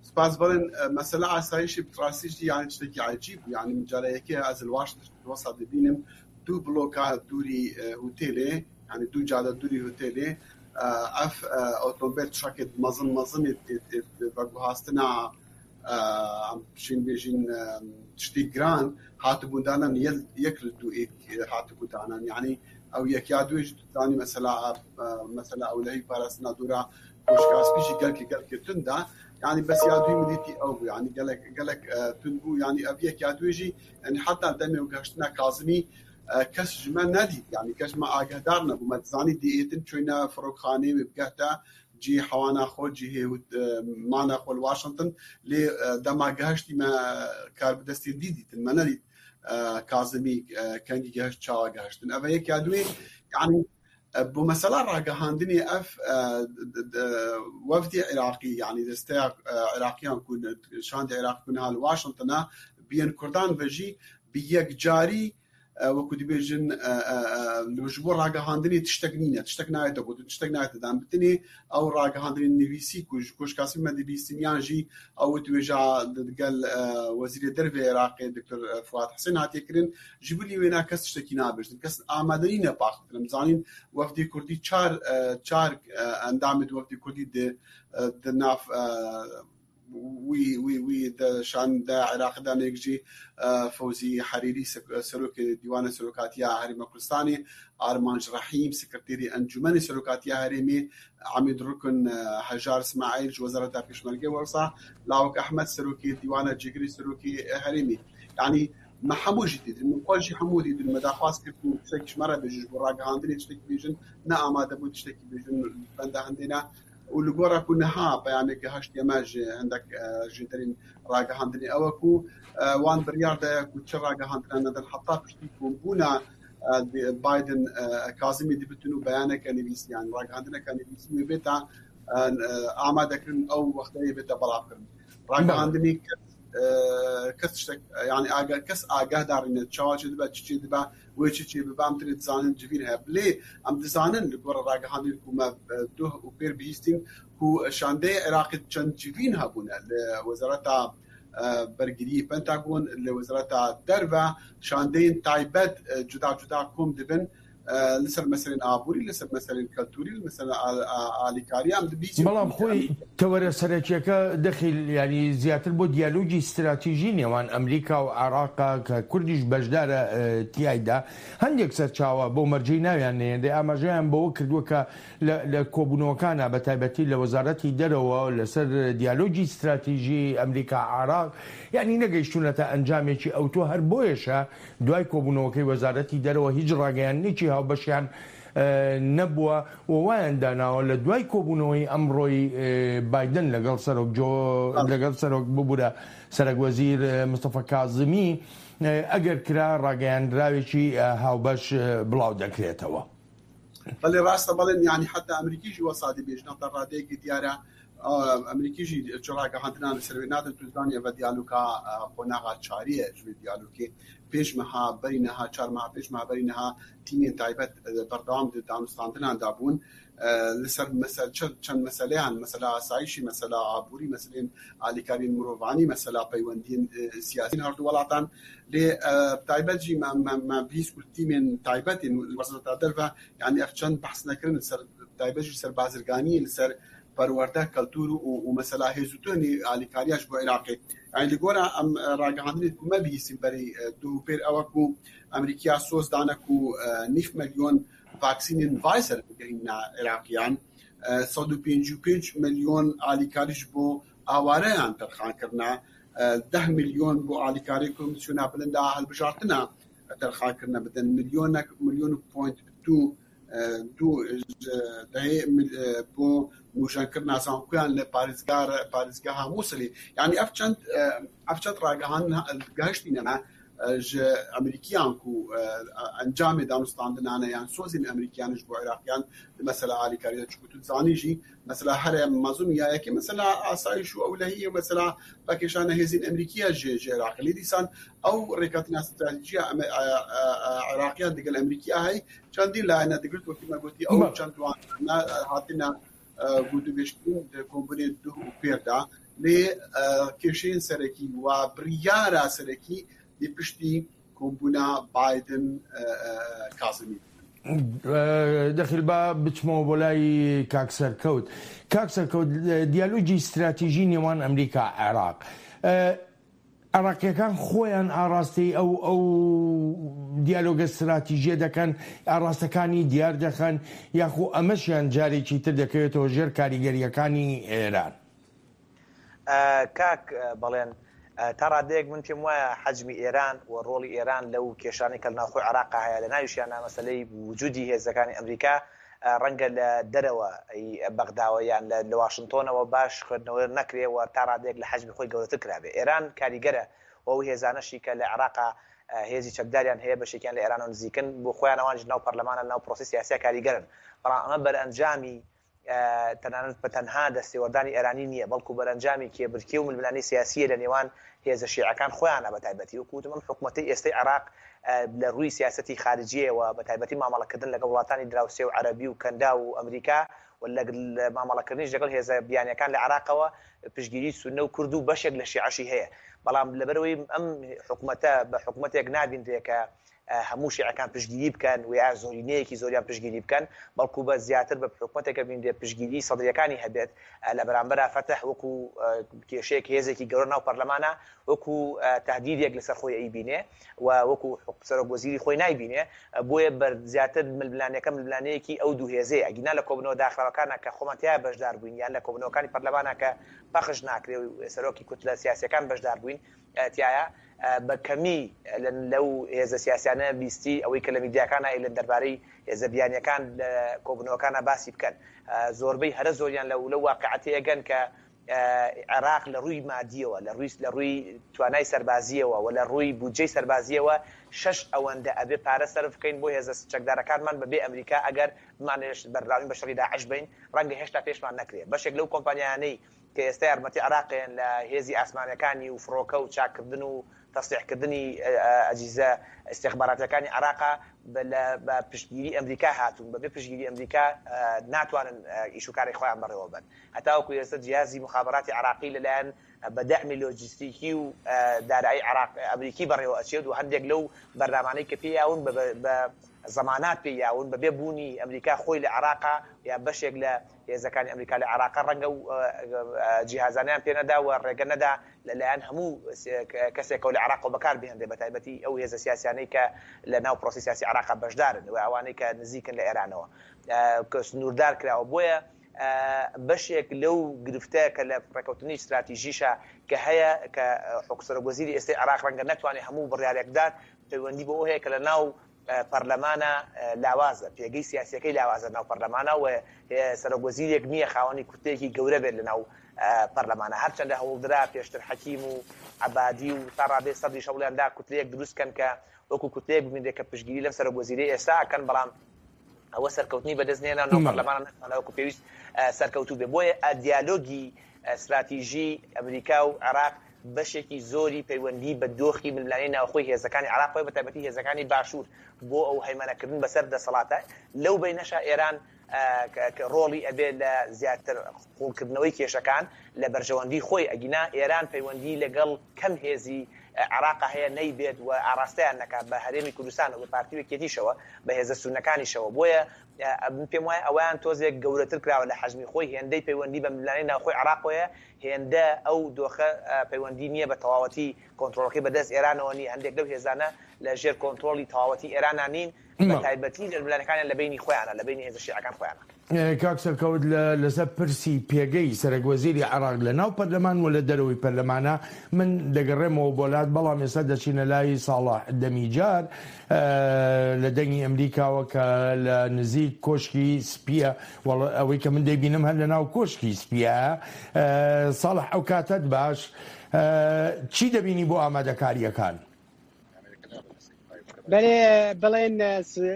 سپاس بەڵێن مەسەلە ئاسایشی بڕاستیش یانی شتێکی عجیب بوو یانی من جارە یەکێ ئەز لە واشنتن وەسا دبینم دوو بلۆکا دووری هوتێلێ یانی دوو جادە دووری هوتێلێ ئەف ئۆتۆمبێل ترەکێت مەزن مەزن بەگوهاستنا ئەم بشین بێژین شتی گران هاتبوون دانان یەک لە دوو هاتبوو دانان یعنی ئەو یەک یا دوێژ دانی مەسەلا مەسەلا ئەولەهی پاراستنا دوورا کۆشکاسپیژی گەلکی گەلکی توندا یعنی بەس یا دوی مدیتی ئەو بوو یعنی گەلک گەلک تون بوو یعنی ئەv یەک یا دوێژی یعنی حتا دەمێ و گەشتنا کازمی کەس ژمە نەدیت یعنی کەس مە ئاگهدار نەبوو مە دزانی دیئێتن چۆینە فڕۆکخانەی وێ بگەهتە جی حەوانا خۆ جی مانە خۆ واشنگتن لێ دەما گەهشتی مە کار بدەستی دیدیتن مە نەدیت کازمی کەنگی گەهشت چاوە گەهشتن ئەvە یەک یا دوێ یعنی بۆ مەسەلا ڕاگەهاندنی ئەف وەفدی عێراقی یعنی دەستەیە عێراقیان کو شاندی عێراق کو نها لە واشنگتنە بیەن کوردان بەژی bi یەکجاری وەکو دبێژن ji بۆ ڕاگەهاندنی تشتێک نینە تشتێک نایێتە گوتن تشتێک نایێتە دان بتنێ ئەو ڕاگەهاندنی نویسی کو ji کۆشکاسی me dibîstin yan jî ew wêja digel wezîrê derve Iraqê Dr. Fuad Husên hatiye kirin ji bilî wêna kes tiştekî nabêjin kes amade nîne paxtin em zanîn wefdê Kurdî çar çar endamê wefdê Kurdî di di nav wî wî wî di şanda Iraqê de nêk jî Fewzî Herîrî Serokê Dîwana Serokatiya Herêma Kurdistanê, Armanc Rehîm Sekreterê Encûmenê Serokatiya Herêmê, Emîd Rukn Hejar Smaîl ji Wezareta Pêşmerge wisa Lawik Ehmed Serokê Dîwana Cêgirê Serokê Herêmê. Yanî me hemû jî dîtin, min xwe jî hemû dîtin, me daxwaz kir ku tiştekî ji me re bêjin, ji bo ragihandinê tiştekî bêjin, ne amade bûn tiştekî bêjin, benda hindê ne. û li gora ku niha peyamê gihiştiye me ji hindek jêderên ragihandinê ew e ku wan biryar daye ku çi ragihandina nedin heta piştî kombûna Biden Kazimî dibitin û beyaneke nivîsî yan ragihandineke nivîsî wê bête amadekirin ew wexteyê bête belavkirin. Ragihandinê kes kes tiştek yani kes agahdarî ne çawa çê dibe çi çê dibe Wê çi çê bibe em tenê dizanin civîn heye. Lê em dizanin li gora ragihandin ku me duh û pêr bihîstîn ku şandeyê Iraqê çend civîn hebûne li Wezareta Bergiriyê Pentagon, li Wezareta Derve şandeyên taybet cuda cuda kom dibin li ser meselên aborî, li ser meselên keltûrî, li meselên alîkarî em dibihîstîn. بەڵام خۆی تەوەرە سەرەکیەکە دەخیل یانی زیاتر بۆ دیالۆگی ستراتیژی نێوان ئەمریکا و عێراقە کە کوردیش بەشدارە تیایدا، هەندێک سەرچاوە بەو مەرجەی ناویان نەهێنرێ ئاماژەیان بەوە کردووە کە لە کۆبوونەوەکانا بە تایبەتی لە وەزارەتی دەرەوە لەسەر دیالۆگی ستراتیژی ئەمریکا عێراق یانی نەگەیشتوونەتە ئەنجامێکی ئەوتۆ هەر بۆیەشە دوای کۆبوونەوەکەی وەزارەتی دەرەوە هیچ ڕاگەیاندنێکی هاوبەشیان نەبووە و وایان داناوە لە دوای کۆبوونەوەی ئەمڕۆی بایدن لەگەڵ سەرۆک جۆ لەگەڵ سەرۆک ببورە سەرەک وەزیر مستەفا کازمی ئەگەر کرا ڕاگەیاندراوێکی هاوبەش بڵاو دەکرێتەوە. بەڵێ ڕاستە بەڵێن یانی حتا ئەمریکیش وەسا دەبێژن تا ڕادەیەکی دیارە. ئەمریکی ژی چ ڕاگەهاندنان لەسەر وێ نادەن تو زانی ئەڤە دیالوکا قۆناغا چاریە ji wê diyalogê pênc meha berî niha çar meha pênc meha berî niha tîmên taybet berdewam di danûstandinan da bûn li ser mesel çend meseleyan mesela asayîşî mesela aborî meselên alîkariyên mirovanî mesela peywendiyên siyasî her du welatan lê bi taybet jî me me me bihîst ku tîmên taybet ên wezareta derve yanî ev çend behs nekirin li ser bi taybet jî li ser bazirganiyê li ser perwerde, keltûr û mesela hêz û tuhnî alîkariya ji bo Iraqê. Yanî li gora em ragihandinê ku me bihîstîn berî duh û pêr ew e ku Amerîkiya soz dane ku nîv milyon vaksînên Pfizer bigihîne Iraqiyan, 155 milyon alîkarî ji bo awareyan terxan kirine, deh milyon bo alîkarî Komîsyona Bilind a Hilbijartina terxan kirine bidin, milyonek milyon û point du Du dehê bo nûjenkirina zankoyan li parêzgar parêzgeha Mûsilê. Yanî ev çend ev çend ragihandin gihiştîne me ji Amerîkiyan ku encamê danûstandinane yan sozên Amerîkiyan ji bo Iraqiyan di mesela alîkarî de çunku tu dizanî jî mesela here mezin ya yekê mesela asayîş û ewlehiyê û mesela vekêşana hêzên Amerîkî ye ji ji Iraqê. Lê dîsan ew rêketina stratejîya Iraqiyan digel Amerîkiya heye Çendî layene digirt wekî me gotî ew çend wan hatine gotûbêjkirin di kombûnên duh û pêr de lê kêşeyên serekî û biryara serekî dê piştî kombûna Biden Kazimî bibin. Dexîl ba biçمەوە بۆ لای کاک سەرکەوت. کاک سەرکەوت دیالۆگی ستراتیژی نێوان ئەمریکا عێراق عێراقییەکان خۆیان ئاڕاستەی ئەو ئەو دیالۆگە ستراتیژیە دەکەن، ئاڕاستەکانی دیار دەخەن، یاخۆ ئەمەشیان جارێکی تر دەکەوێتەوە ژێر کاریگەرییەکانی ئێران؟ کاک بەڵێن، تا ڕادەیەک من پێم وایە حەجمی ئێران و ڕۆڵی ئێران لەو کێشانەی کە لە ناوخۆی عێراقا هەیە، لە ناویشیاندا مەسەلەی وجودی هێزەکانی ئەمریکا، ڕەنگە لە دەرەوە ی بەغداوە یان لە لە واشنتۆنەوە باش خوێندنەوە نەکرێ و تا ڕادەیەک لە حەجمی خۆی گەورەتر کرابێ. ئێران کاریگەرە و ئەو هێزانەشی کە لە عێراقا هێزی چەکداریان هەیە بەشێکیان لە ئێرانەوە نزیکن بۆ خۆیان ئەوانیش لەناو پەرلەمانە لەناو پرۆسەی سیاسیا کاریگەرن. بەڵام ئەمە بەرئەنجامی تەنانەت بە تەنها دەستێوەردانی ئێرانی نییە، بەڵکو بەرەنجامی کێبرکێ و ململانێی سیاسییە لە نێوان هێزە شیعەکان خۆیانە بە تایبەتی وەکو وتم ئەم حکومەتەی ئێستەی عێراق لە رووی سیاسەتی خارجییەوە بە تایبەتی مامەڵەکردن لەگەڵ وڵاتانی دراوسێ و عەرەبی و کەنداو و ئەمریکا و لە مامەڵەکردنیش لەگەڵ هێزە بیانیەکان لە عێراقەوە پشتگیری سوننە و کورد و بەشێک لە شیعەشی هەیە بەڵام لەبەرئەوەی ئەم حکومەتە بە حکومەتێک نابینرێ کە هەموو شیعەکان پشتگیری بکەن و یا زۆرینەیەکی زۆریان پشتگیری بکەن، بەڵکو بە زیاتر بە حکومەتێک ئەبینرێت پشتگیری سەدرییەکانی هەبێت، لە بەرامبەرا فەتح وەکو کێشەیەک هێزێکی گەورە ناو پەرلەمانە وەکو تەهدیدێک لەسەر خۆی ئەیبینێ و وەکو سەرۆک وەزیری خۆی نایبینێ، بۆیە بەر زیاتر ململانێکە ململانێیەکی ئەو دوو هێزەیە، ئەگینا لە کۆبوونەوە داخراوەکانا کە خۆمان تیایا بەشدار بووین یان لە کۆبوونەوەکانی پەرلەمانا کە پەخش ناکرێ و سەرۆکی کوتلە سیاسیەکان بەشدار بووین تیایا بە کەمی لەو هێزە سیاسیانە بیستی ئەوەی کە لە میدیاکانا ئەیلن دەربارەی هێزە بیانیەکان لە کۆبونەوەکانا باسی بکەن زۆربەی هەرە زۆریان لە لەو واقیعە تێئەگەن کە عێراق لە ڕووی مادیەوە لە ڕووی لە ڕووی توانای سەربازیەوە و لە ڕووی بودجەی سەربازیەوە شەش ئەوەندە ئەبێ پارە سەرف بکەین بۆ هێزە چەکدارەکانمان بە بێ ئەمریکا ئەگەر بمانەوێت بەردەوامی بە شەڕی داعش بەین ڕەنگە هێشتا پێشمان نەکرێ بەشێک لەو کۆمپانیایانەی کە ئێستا یارمەتی عێراقێن لە هێزی ئاسمانەکانی و فڕۆکە و چاککردن و تەسلیحکردنی ئەجیزە ئیستیخباراتیەکانی عێراقا بە پشتگیری ئەمریکا هاتوون، بەبێ پشتگیری ئەمریکا ناتوانن ئیش و کاری خۆیان بەڕێوە بەن. هەتاوەکو ئێستا جیهازی موخابەراتی عێراقی لەلایەن بە دەعمی لۆجستیکی و دارایی عێراق ئەمریکی بەڕێوە ئەچێت و هەندێک لەو بەرنامانەی کە پێی یاون بە زەمانات پێی یاون بەبێ بوونی ئەمریکا خۆی لە عێراقا یا بەشێک لە هێزەکانی ئەمریکا لە عێراقا ڕەنگە و جیهازانیان پێ نەدا و ڕێگە نەدا لەلایەن هەموو کەسێکەوە لە عێراقەوە بەکار بهێنرێ بە تایبەتی ئەو هێزە سیاسیانەی کە لە ناو پرۆسەی سیاسی عێراقا بەشدارن و ئەوانەی کە نزیکن لە ئێرانەوە کە سنووردار کراوە بۆیە بەشێک لەو گرفتە کە لە ڕێککەوتنی ستراتیژیشە کە هەیە کە حکوسەرۆک وەزیری ئێستای عێراق ڕەنگە نەتوانێت هەموو بڕیارێک بدات پەیوەندی بەوە هەیە کە لە ناو پەرلەمانە لاوازە، پێگەی سیاسیەکەی لاوازە ناو پەرلەمانە و سەرۆک وەزیرێک نییە خاوەنی کوتلەیەکی گەورە بێت لەناو پەرلەمانە، هەرچەندە هەوڵدرا پێشتر حەکیم و عەبادی و تا ڕادەی سەدریش هەوڵیان دا کوتلەیەک دروست کەن کە وەکو کوتلەیەک ببینرێت کە پشتگیری لەم سەرۆک وەزیرەی ئێستا ئەکەن، بەڵام ئەوە سەرکەوتنی بەدەست نەهێنا ناو پەرلەمانە نەتوانرا وەکو پێویست سەرکەوتوو بێ. بۆیە دیالۆگی ستراتیژی ئەمریکا و عێراق بەشێکی زۆری پەیوەندی بە دۆخی ململانێی ناوخۆی هێزەکانی عێراقەوە بە تایبەتی هێزەکانی باشوور بۆ ئەو هەیمەنەکردن بەسەر دەسەڵاتە. لەو بەینەشا ئێران ڕۆڵی ئەبێ لە زیاتر قوڵکردنەوەی کێشەکان لە بەرژەوەندی خۆی، ئەگینا ئێران پەیوەندی لەگەڵ کەم هێزی عێراقا هەیە نەیبێت و ئاڕاستەیان نەکات بە هەرێمی کوردستان و بە پارتی و یەکێتیشەوە بە هێزە سوننەکانیشەوە. بۆیە من پێم وایە ئەوەیان تۆزێک گەورەتر کراوە لە حەجمی خۆی، هێندەی پەیوەندی بە ململانێی ناوخۆی عێراقەوەیە هێندە ئەو دۆخە پەیوەندی نییە بە تەواوەتی کۆنترۆڵەکەی بەدەست ئێرانەوە نییە، هەندێک لەو هێزانە لە ژێر کۆنترۆڵی تەواوەتی ئێرانا نین، بە تایبەتی لە ململانێکانیان لە بەینی خۆیانە، لە بەینی هێزە شیعەکان خۆیانە. کاک سەرکەوت لە لەسەر پرسی پێگەی سەرەک وەزیری عێراق لە ناو پەرلەمان و لە دەرەوەی پەرلەمانە من دەگەڕێمەوە بۆ لات بەڵام ئێستا دەچینە لای ساڵح دەمیجار لە دەنگی ئەمریکاوە کە لە نزیک کۆشکی سپیە ئەوەی کە من دەیبینم هەر لە ناو کۆشکی سپیە ساڵح ئەو کاتەت باش چی دەبینی بۆ ئامادەکاریەکان؟ بەێ بڵێن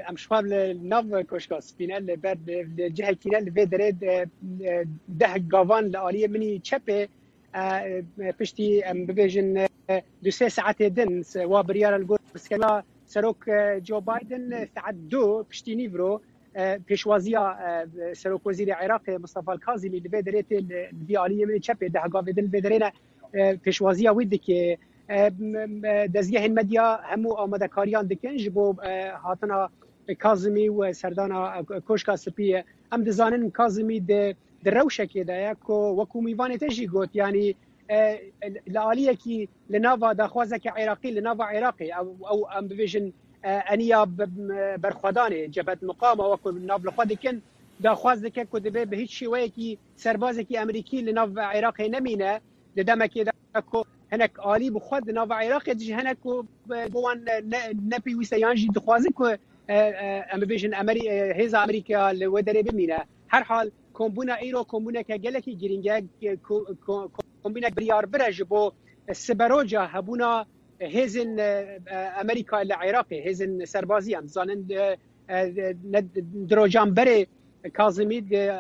ئەم شواب لە ناو کۆشکا سپینە لە بەر لە جهکینە لە vê derê ده گاوان لە ئالیە منی چەپێ پشتی ئەم ببێژن دو سێ ساعتێ دن وا بریارە لە گۆر سکەلا سەرۆک جۆ بایدن ساعت دو پشتی نیڤرۆ پێشوازیە سەرۆک وەزیری عێراقێ مستەفا کازیمی لە vê derê tê li vî aliyê min çepê ده gavê din li vê derê ne pêşwaziya wî dike. Dezgehên medya hemû amadekariyan dikin ji bo hatina Kazimî û serdana Koşka Spî. Em dizanin Kazimî di di rewşekê de ye ku wekû mîvanê te jî got yanî li aliyekî li nava daxwazeke Iraqî li nava Iraqê ew ew em bibêjin eniya berxwedanê Cebhet Muqama wekû nav li xwe dikin daxwaz dike ku dibe bi hîç şêweyekî serbazekî Amerîkî li nav Iraqê nemîne di demekê de ku hinek alî bi xwe di nava Iraqê de jî hene ku bo wan ne pêwîst e yan jî dixwazin ku em bibêjin hêza Amerîka li wê derê bimîne. Herhal kombûna îro kombûneke gelekî girîng e, kombînek biryarbir e ji bo siberoja hebûna hêzên Amerîka li Iraqê, hêzên serbazî em dizanin di rojan berê Kazimî di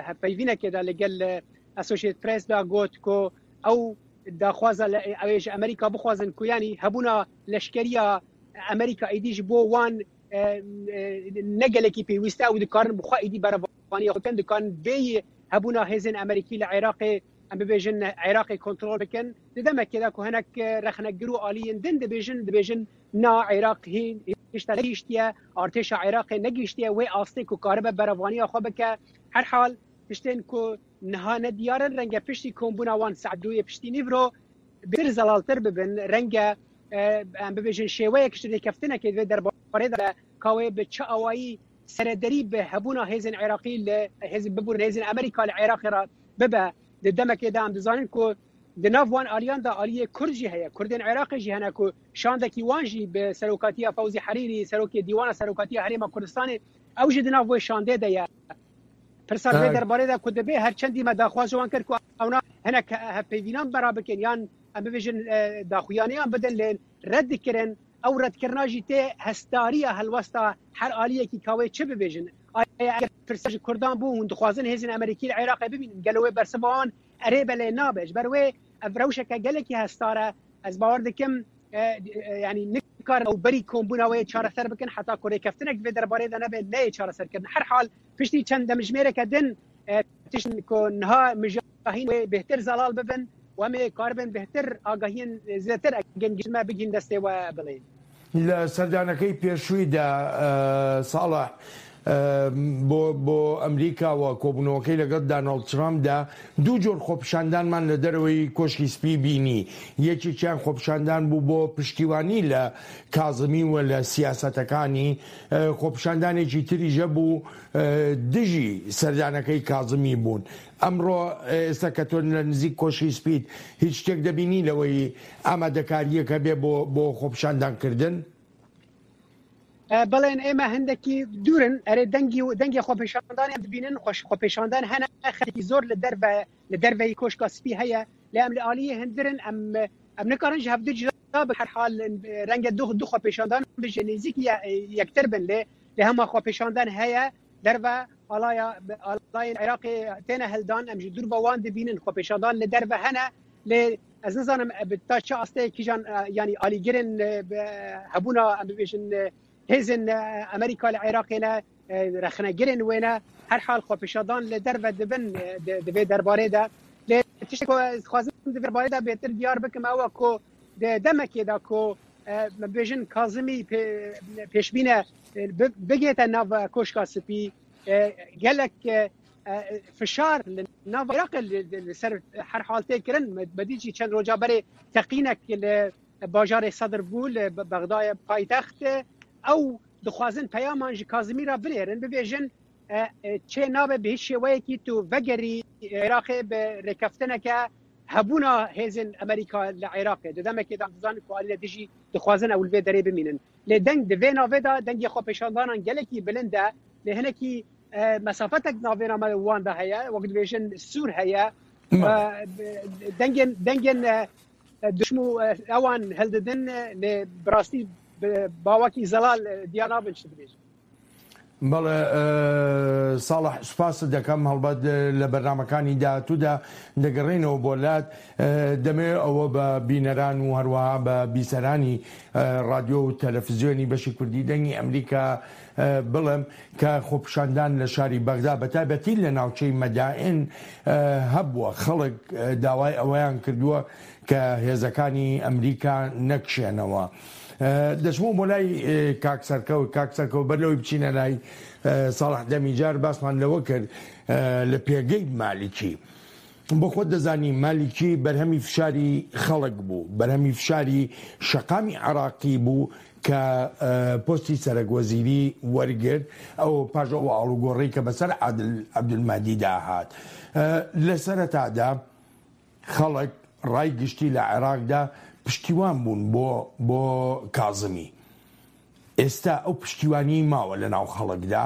hevpeyvînekê de li gel Associated Press da got ku ew daxwaza ew ê ji Amerîka bixwazin ku yanî hebûna leşkeriya Amerîka êdî ji bo wan ne gelekî pêwîst e ew dikarin bi xwe êdî berevaniya xwe bikin, dikarin bêyî hebûna hêzên Amerîkî li Iraqê em bibêjin Iraqê kontrol bikin. Di demekê de ku hinek rexnegir û aliyên din dibêjin dibêjin na Iraq hîn hişta negihîştiye, artêşa Iraqê negihîştiye wê astê ku karibe berevaniya xwe bike. Herhal tiştên ku niha ne diyar in renge piştî kombûna wan saet duyê piştî nîvro bêtir zelaltir bibin renge em bibêjin şêweyek ji rêkeftinekê di vê derbarê de ka wê bi çi awayî serederî bi hebûna hêzên Iraqî li hêzên bibûrin hêzên Amerîka li Iraqê re bibe di demekê de em dizanin ku di nav wan aliyan de aliyê Kurd jî heye Kurdên Iraqê jî hene ku şandekî wan jî bi serokatiya Fewzî Herîrî serokê Dîwana Serokatiya Herêma Kurdistanê ew jî di nav wê şandê de ye. Pirsa vê derbarê de ku dibe her çendî me daxwaz ji wan kir ku ewna hinek hevpeyvînan bera bikin yan em bibêjin daxuyaniyan bidin lê red dikirin ew redkirina jî tê hestariya helwesta her aliyekî ka wê çi bibêjin. Aya eger pirsa ji Kurdan bû hûn dixwazin hêzên Amerîkî li Iraqê bibînin gelo wê bersiva wan erê be lê nabe. Ji ber wê ev rewşeke gelekî hestar e. Ez bawer dikim yanî nikarin ew berî kombûna wê çareser bikin heta ku rêkeftinek di vê derbarê de nebe neyê çareserkirin. Herhal piştî çend demjimêreke din tiştên ku niha mijahîn wê bêhtir zelal bibin û em ê karibin bêhtir agahiyên zêdetir eger gihîştin me bigihîn destê we bilên. لە سەردانەکەی پێشوویدا ساڵح بۆ بۆ ئەمریکا و کۆبوونەوەکەی لەگەڵ دانۆڵد ترامپدا دوو جۆر خۆپیشاندانمان لە دەرەوەی کۆشکی سپی بینی یەکێکیان خۆپیشاندان بوو بۆ پشتیوانی لە کازمی و لە سیاسەتەکانی خۆپیشاندانێکی تریش هەبوو دژی سەردانەکەی کازمی بوون ئەمڕۆ ئێستا کە تۆ لە نزیک کۆشکی سپیت هیچ شتێک دەبینی لەوەی ئامادەکارییەکە بێ بۆ بۆ خۆپیشاندان کردن؟ بەڵێن ئێمە هەندێکی دوورن ئەرێ دەنگی و دەنگی خۆپیشاندان دەبینن خۆش خۆپیشاندان هەنە خەڵکی زۆر لە دەرڤە لە دەرڤەی کۆشکا سپی هەیە لە ئەم لە ئالیە هەندرن ئەم ئەم نکارن ji هەڤدو جدا بە هەر حال ڕەنگە دوو دوو خۆپیشاندان بژێ نزیک یەکتر بن لێ لە هەما خۆپیشاندان هەیە دەرڤە. ئاڵایا ئاڵایên عێراقê تێنە هەلدان ئەم ji dûr ve wan dibînin xwepêşandan li derve hene lê ez nizanim bi ta çi asteyê kîjan yanî alîgirên hebûna em bibêjin hêzên Amerîka li Iraqê ne rexnegirên wê ne herhal xwepêşandan li derve dibin di vê derbarê de lê tiştê ku ez dixwazim di vê derbarê de bêtir diyar bikim ew e ku di demekê de ku me bêjin Kazimî pêşbîne bigihête nav Koşka Spî gelek fişar li nav Iraqê li ser her hal tê kirin. Me dît jî çend roja berê teqînek li bajarê Sedr bû li Bexdayê paytext. Ew dixwazin peyaman ji Kazimî re binêrin bibêjin çê nabe bi hiç şêweyekî tu vegerî Iraqê bi rêkeftineke hebûna hêzên Amerîka li Iraqê. Di demekê de em dizanin ku alî li dijî dixwazin ew li vê derê bimînin. Lê deng di vê navê de dengê xwepêşandanan gelekî bilind e. Lê hinekî mesafetek navêna me wan de heye wek dibêjin sûr heye. Dengên dengên duşm û ewan hildidin lê bi rastî bi bawekî zelal diyar nabin çi dibêjin. بەڵێ ساڵح سوپاست دەکەم هەڵبەت لە بەرنامەکانی داهاتوودا دەگەڕێینەوە بۆ لات دەمەوێت ئەوە بە بینەران و هەروەها بە بیسەرانی ڕادیۆ و تەلەفزیۆنی بەشی کوردی دەنگی ئەمریکا بڵێم کە خۆپیشاندان لە شاری بەغدا بە تایبەتی لە ناوچەی مەدائن هەبووە خەڵک داوای ئەوەیان کردووە کە هێزەکانی ئەمریکا نەکشێنەوە. دەچمەوە بۆ لای کاک سەرکەوت، کاک سەرکەوت بەر لەوەی بچینە لای ساڵح دەمیجار باسمان لەوە کرد لە پێگەی مالیکی بۆ خۆت دەزانی مالیکی بەرهەمی فشاری خەڵک بوو بەرهەمی فشاری شەقامی عراقی بوو کە پۆستی سەرەک وەزیری وەرگرت ئەو پاش ئەو ئاڵوگۆڕی کە بەسەر عادل عەبدولمەهدیدا هات لە سەرەتادا خەڵک، ڕای گشتی لە عێراقدا پشتیوان بوون بۆ بۆ کازمی. ئێستا ئەو پشتیوانیەی ماوە لە ناو خەڵکدا؟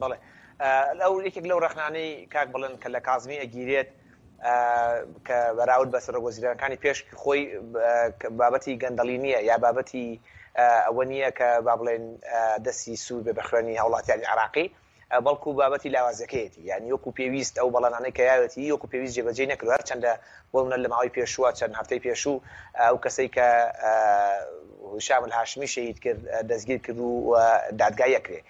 بەڵێ ئەو یەکێک لەو ڕەخنانەی کاک بڵێن کە لە کازمی ئەگیرێت کە بەراورد بە سەرۆک وەزیرانەکانی پێش خۆی بابەتی گەندەڵی نییە یا بابەتی ئەوە نییە کە با بڵێن دەستی سوور بێ بە خوێنی هاوڵاتیانی عراقی بەڵکو بابەتی لاوازیەکەیەتی یانی وەکو پێویست ئەو بەڵێنانەی کە یاوێتی وەکو پێویست جێبەجێی نەکردوە هەرچەندە بۆ منە لە ماوەی پێشووە چەند هەفتەی پێشوو ئەو کەسەی کە هشام الهاشمی شەهید کرد دەستگیر کرد و دادگای ئەکرێ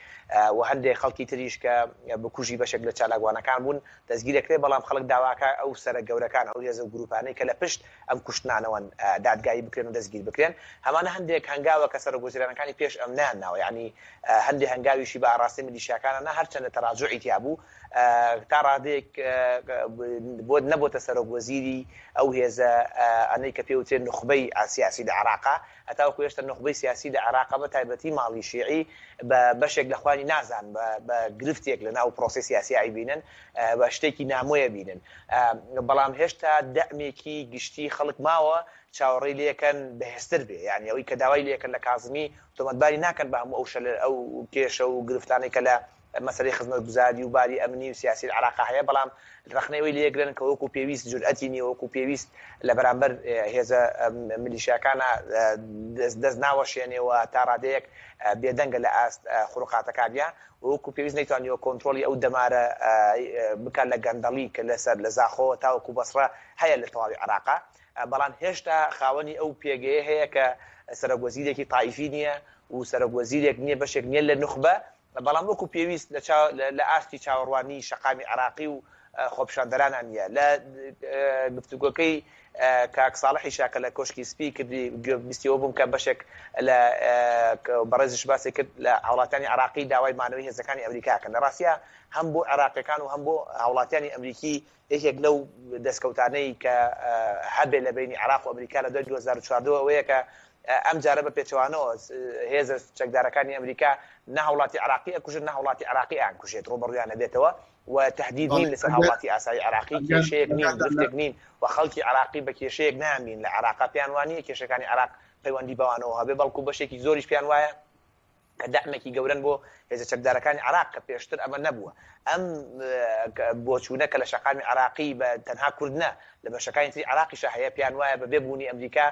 و هەندێک خەڵکی تریش کە بکوژی بەشێک لە چالاکوانەکان بوون دەستگیرەکرێ بەڵام خەڵک داواکە ئەو سەرە گەورەکان ئەو هێزە و گروپانەی کە لە پشت ئەم کوشتنانەوەن دادگایی بکرێن و دەستگیر بکرێن هەمانە هەندێک هەنگاوە کە سەرۆک وەزیرانەکانی پێش ئەم نەیان ناوە یانی هەندێ هەنگاویشی بە ئاڕاستەی میلیشیاکانە نا هەرچەندە تەراجوعی تیا بوو تا ڕادەیەک بۆ نەبۆتە سەرۆک وەزیری ئەو هێزە ئەنەی کە پێوترێن نوخبەی سیاسی لە عێراقا هەتاوەکو هێشتا نوخبەی سیاسی لە عێراقا بە تایبەتی ماڵی شیعی بە بەشێک لە خوانی نازان بە گرفتێک لە ناو پرۆسەی سیاسی ئەیبینن بە شتێکی نامۆیە بینن بەڵام هێشتا دەعمێکی گشتی خەڵک ماوە چاوەڕێی لێکەن بەهێزتر بێ یعنی ئەوەی کە داوای لێکەن لە کازمی تۆمەتباری ناکەن بە هەموو ئەو شەلە ئەو کێشە و گرفتانەی کە لە مەسەلەی خزمەتگوزاری و باری ئەمنی و سیاسی لە عێراقا هەیە، بەڵام ڕەخنەی ئەوەی لێگرن کە وەکو پێویست جورئەتی نییە، وەکو پێویست لە بەرامبەر هێزە میلیشیاکانا دەست ناوەشێنێ و تا ڕادەیەک بێدەنگە لە ئاست خروقاتەکانیا و وەکو پێویست نەیتوانیوە کۆنترۆڵی ئەو دەمارە بکات لە گەندەڵی کە لەسەر لە زاخۆوە تاوەکو بەسڕە هەیە لە تەواوی عێراقا. بەڵام هێشتا خاوەنی ئەو پێگەیە هەیە کە سەرۆک وەزیرێکی تایفی نییە و سەرۆک وەزیرێک نییە بەشێک نییە لە نوخبە، بەڵام وەکو پێویست لە ئاستی چاوەڕوانی شەقامی عێراقی و خۆپیشاندەرانە نییە. لە گفتوگۆکەی کاک ساڵحیشا کە لە کۆشکی سپی کردی گوێ بیستی ئەوە بووم کە بەشێک لە بەڕێزیش باسی کرد لە هاوڵاتیانی عێراقی داوای مانەوەی هێزەکانی ئەمریکا کەن. لە ڕاستیا هەم بۆ عێراقیەکان و هەم بۆ هاوڵاتیانی ئەمریکی یەکێک لەو دەستکەوتانەی کە هەبێ لە بەینی عێراق و ئەمریکا لە دوای 2014 ئەوەیە کە ئەم جارە بە پێچەوانەوە هێزە چەکدارەکانی ئەمریکا نە هاوڵاتی عێراقی ئەکوژن نە هاوڵاتی عێراقی ئەیانکوژێت ڕووبەڕوویان ئەبێتەوە و تهدید نین لەسەر هاوڵاتی ئاسایی عێراقی کێشەیەک نین گرفتێک نین و خەڵکی عێراقی بە کێشەیەک نایانبین لە عێراقا پێیان وانییە کێشەکانی عێراق پەیوەندی بەوانەوە هەبێ بەڵکو بەشێکی زۆریش پێیان وایە. کە دەعمێکی گەورەن بۆ هێزە چەکدارەکانی عێراق کە پێشتر ئەمە نەبووە. ئەم بۆچوونە کە لە شەقامی عێراقی بە تەنها کورد نا، لە بەشەکانی تری عێراقیشا هەیە، پێیان وایە بە بێ بوونی ئەمریکا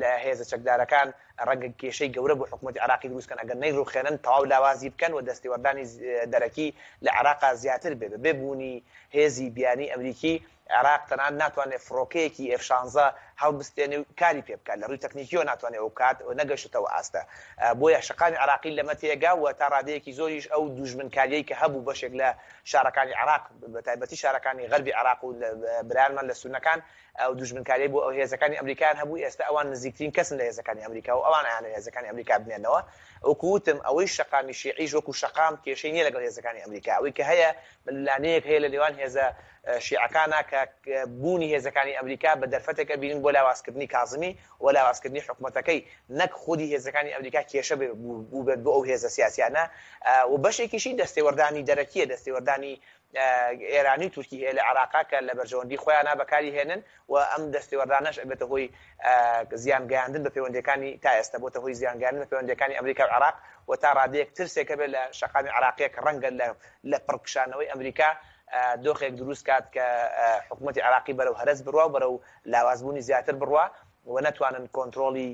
لە هێزە چەکدارەکان ڕەنگە کێشەی گەورە بۆ حکومەتی عێراقی دروست کەن ئەگەر نەیڕوخێنن تەواو لاوازی بکەن و دەستێوەردانی دەرەکی لە عێراقا زیاتر بێ. بە بێ بوونی هێزی بیانی ئەمریکی عێراق تەنانەت ناتوانێت فڕۆکەیەکی ئێف شانزە هەڵبستێنێ و کاری پێ بکات، لە ڕووی تەکنیکییەوە ناتوانێت ئەوە بکات و نەگەشتۆتە ئەو ئاستە. بۆیە شەقامی عێراقی لەمە تێگا و تا ڕادەیەکی زۆریش ئەو دووژمنکارییەی کە هەبوو بەشێک لە شارەکانی عێراق بە تایبەتی شارەکانی غەربی عێراق و برایانمان لە سوننەکان ئەو دوژمنکاریەی بۆ هێزەکانی ئەمریکایان هەبوو ئێستا ئەوان نزیکترین کەسن لە هێزەکانی ئەمریکا و ئەوان ئەیانەوێت هێزەکانی ئەمریکا بمێنەوە. وەکو وتم ئەوەی شەقامی شیعیش وەکو شەقام کێشەی نیە لەگەڵ هێزەکانی ئەمریکا ئەوەی کە هەیە ململانێیەک هەیە لە نێوان هێزە شیعەکانا کە بوونی هێزەکانی ئەمریکا بە دەرفەتێک ئەبینن بۆ لاوازکردنی کازمی و لاوازکردنی حکومەتەکەی نەک خودی هێزەکانی ئەمریکا کێشە بووبێت بۆ ئەو هێزە سیاسیانە و بەشێکیشی دەستێوەردانی دەرەکیە دەستێوەردانی ئێرانی و تورکی هەیە لە عێراقا کە لە بەرژەوەندی خۆیانا بەکاری هێنن و ئەم دەستێوەردانەش ئەبێتە هۆی زیان گەیاندن بە پەیوەندیەکانی تا ئێستا بۆتە هۆی زیان گەیاندن بە پەیوەندیەکانی ئەمریکا و عێراق و تا ڕادەیەک ترسێک هەبێت لە شەقامی عێراقیە کە ڕەنگە لە لە پڕکشانەوەی ئەمریکا دۆخێک دروست کات کە حکوومەتی عێراقی بەرەو هەرەس بڕوا و بەرەو لاوازبوونی زیاتر بڕوا و نەتوانن کۆنترۆڵی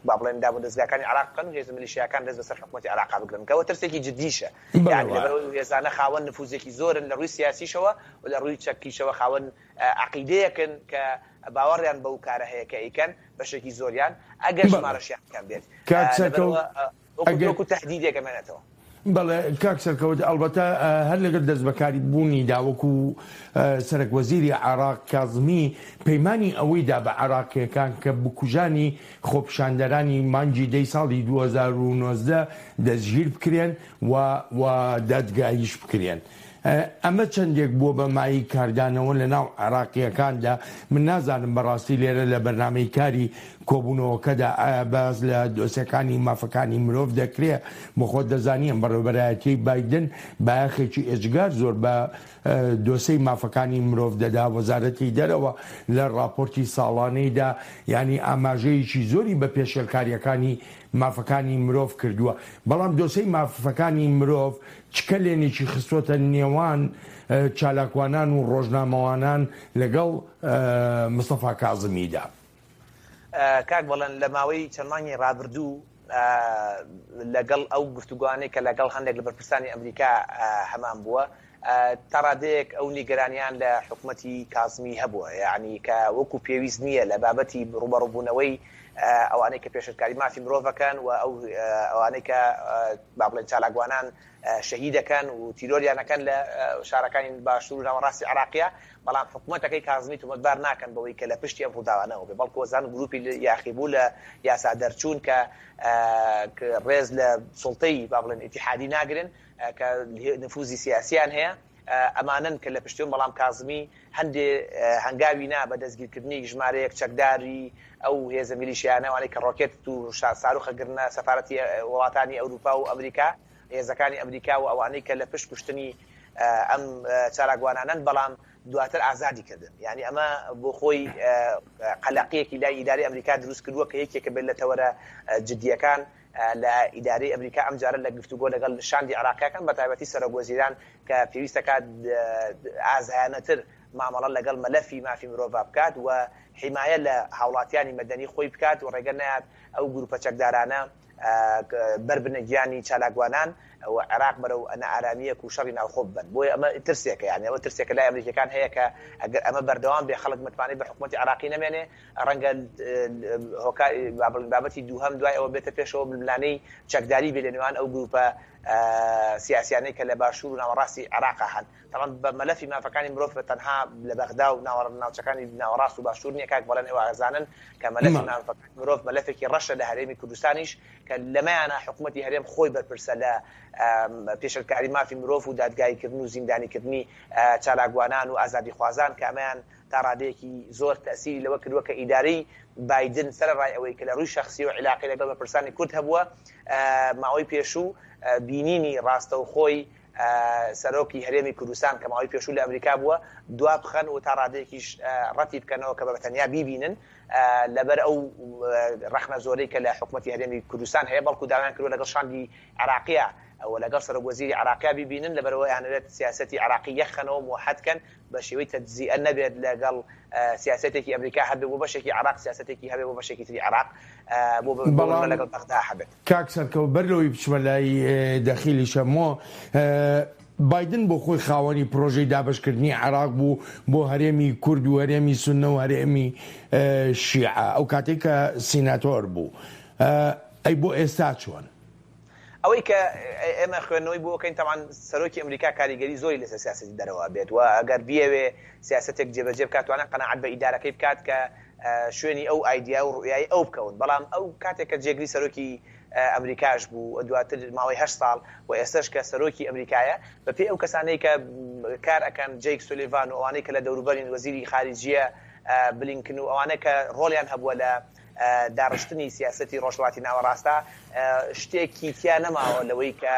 با بڵێن دامودەزگاکانی عێراق بکەن و هێزە میلیشیاکان دەست بەسەر حکوومەتی عێراقا بگرن کە ئەوە ترسێکی جدیشە یانی لەبەر ئەوەی ئەو هێزانە خاوەن نفوزێکی زۆرن لە ڕووی سیاسیشەوە و لە ڕووی چەکیشەوە خاوەن عەقیدەیەکن کە باوەڕیان بەو کارە هەیە کە ئەیکەن بەشێکی زۆریان ئەگەر ژمارەشیان کەم بێت کاک سەرکەوت لەبەرئەوە وەکو تەهدیدێک ئەمێنێتەوە. بەڵێ کاک سەرکەوت، ئەڵبەتە هەر لەگەڵ دەستبەکاری بوونیدا وەکو سەرەک وەزیری عێراق کازمی پەیمانی ئەوەی دا بە عێراقییەکان کە بکوژانی خۆپیشاندەرانی مانگی دەی ساڵی 2019 دەستگیر بکرێن و و دادگاییش بکرێن. ئەمە چەندێک بووە بە مایەی کاردانەوە لە ناو عێراقییەکاندا، من نازانم بەڕاستی لێرە لە بەرنامەی کاری کۆبوونەوەکەدا ئایا باس لە دۆسێکانی مافەکانی مرۆڤ دەکرێ؟ بۆ خۆت دەزانی ئەم بەڕێوەبەرایەتیەی بایدن بایەخێکی ئێجگار زۆر بە دۆسێی مافەکانی مرۆڤ دەدا، وەزارەتی دەرەوە لە ڕاپۆرتی ساڵانەیدا یانی ئاماژەیەکی زۆری بە پێشێلکارییەکانی مافەکانی مرۆڤ کردووە، بەڵام دۆسێی مافەکانی مرۆڤ چ کەلێنێکی خستۆتە نێوان چالاکوانان و ڕۆژنامەوانان لەگەڵ مستەفا کازمیدا؟ کاک بەڵێن لە ماوەی چەند مانگی ڕابردوو لەگەڵ ئەو گفتوگۆانەی کە لەگەڵ هەندێک لە بەرپرسانی ئەمریکا هەمان بووە تا ڕادەیەک ئەو نیگەرانیان لە حکومەتی کازمی هەبووە یعنی کە وەکو پێویست نییە لە بابەتی ڕوبەڕوبوونەوەی ئەوانەی کە پێشلکاری مافی مرۆڤەکەن و ئەو ئەوانەی کە با بڵێن چالاکوانان شەهیدەکەن و تیرۆریانەکەن لە شارەکانی باشوور و ناوەڕاستی عێراقیە، بەڵام حکومەتەکەی کازمی تۆمەتبار ناکەن بەوەی کە لە پشتی ئەم ڕووداوانەوە بێ، بەڵکو ئەزانن گروپی یاخیبوو لە یاسا دەرچوون کە ڕێز لە سوڵتەی با بڵێن ئیتیحادی ناگرن کە نفوزی سیاسیان هەیە ئەمانەن کە لە پشتیون، بەڵام کازمی هەندێ هەنگاوی نا بە دەستگیرکردنی ژمارەیەک چەکداری ئەو هێزە میلیشیانە ئەوانەی کە ڕۆکێت و ساروخە گرنە سەفارەتی وڵاتانی ئەوروپا و ئەمریکا هێزەکانی ئەمریکا و ئەوانەی کە لە پشت کوشتنی ئەم چالاکوانانەن بەڵام دواتر ئازادی کردن یعنی ئەمە بۆ خۆی قەلەقیەکی لای ئیداری ئەمریکا دروست کردووە کە یەکێکە بێت لە تەوەرە جدیەکان لە ئیدارەی ئەمریکا ئەمجارە لە گفتوگۆ لەگەڵ شاندی عێراقیەکان بە تایبەتی سەرۆک وەزیران کە پێویستەکات ئازایانەتر مامەڵە لەگەڵ مەلەفی مافی مرۆڤ بکات و حیمایە لە هاوڵاتیانی مەدەنی خۆی بکات و ڕێگە نەیات ئەو گروپە چەکدارانە بەربنە گیانی چالاکوانان و عێراق بەرەو نائارامییەک و شەڕی ناوخۆ ببەن. بۆیە ئەمە ترسێکە، یانی ئەوە ترسێکە لای ئەمریکییەکان هەیە کە ئەگەر ئەمە بەردەوام بێ خەڵک متمانەی بە حکومەتی عێراقی نەمێنێ، ڕەنگە هۆکار با بڵێین بابەتی دووهەم دوای ئەوە بێتە پێشەوە ململانێی چەکداری بێ لە نێوان ئەو گروپە سیاسیانەی کە لە باشوور و ناوەڕاستی عێراقا هەن. تەبعەن بە مەلەفی مافەکانی مرۆڤ بە تەنها لە بەغدا و ناوچەکانی ناوەڕاست و باشوور نییە کاک بەڵێن ئێوە ئەزانن کە مەلەفی مافەکانی مرۆڤ مەلەفێکی ڕەشە لە هەرێمی کوردستانیش کە لەمەیانە حکوومەتی هەرێم خۆی بەرپرسە لە پێشلکاری مافی مرۆڤ و دادگاییکردن و زیندانیکردنی چالاکوانان و ئازادیخوازان کە ئەمەیان تا ڕادەیەکی زۆر تەسیری لەوە کردووە کە ئیدارەی بایدن سەرەڕای ئەوەی کە لە ڕووی شەخسی و عیلاقەی لەگەڵ بەرپرسانی کورد هەبووە ماوەی پێشوو بینینی ڕاستەوخۆی. سەرۆکی هەرێمی کوردستان کە ماوەی پێشوو لە ئەمریکا بووە دوا بخەن و تا ڕادەیەکیش ڕەتی بکەنەوە کە بە تەنیا بیبینن لەبەر ئەو ڕەخنە زۆرەی کە لە حکومەتی هەرێمی کوردستان هەیە، بەڵکو داوایان کردووە لەگەڵ شاندی عێراقییە و لەگەڵ سەرۆک وەزیری عێراقیا بیبینن، لەبەرئەوە ئەیانەوێت سیاسەتی عێراقی یەکخەنەوە، موحەد کەن، بە شێوەی تەجزیئە نەبێت لەگەڵ سیاسەتێکی ئەمریکا هەبێت بۆ بەشێکی عێراق، سیاسەتێکی هەبێت بۆ بەشێکی تری عێراق، بۆ بەڵام لەگەڵ بەغدا هەبێت. کاک سەرکەوت بەر لەوەی بچمە لای دەخیلی شەمۆ، بایدن بۆ خۆی خاوەنی پرۆژەی دابەشکردنی عێراق بوو بۆ هەرێمی کورد و هەرێمی سوننە و هەرێمی شیعە ئەو کاتەی کە سیناتۆر بوو. ئەی بۆ ئێستا چۆن؟ ئەوەی کە ئێمە خوێندنەوەی بۆ ئەکەین تەبعەن سەرۆکی ئەمریکا کاریگەری زۆری لەسەر سیاسەتی دەرەوە ئەبێت و ئەگەر بیەوێ سیاسەتێک جێبەجێ بکات توانێت قەناعەت بە ئیدارەکەی بکات کە شوێنی ئەو ئایدیا و ڕوئیای ئەو بکەون بەڵام ئەو کاتێک کە جێگری سەرۆکی ئەمریکاش بوو و دواتر ماوەی هەشت ساڵ و ئێستەش کە سەرۆکی ئەمریکایە بە پێی ئەو کەسانەی کە کار ئەکەن جەیک سولیڤان و ئەوانەی کە لە دەوروبەرین وەزیری خارجیە بلینکن و ئەوانە کە ڕۆڵیان هەبووە لە داڕشتنی سیاسەتی ڕۆژهەڵاتی ناوەڕاستە شتێکی تیا نەماوە لەوەی کە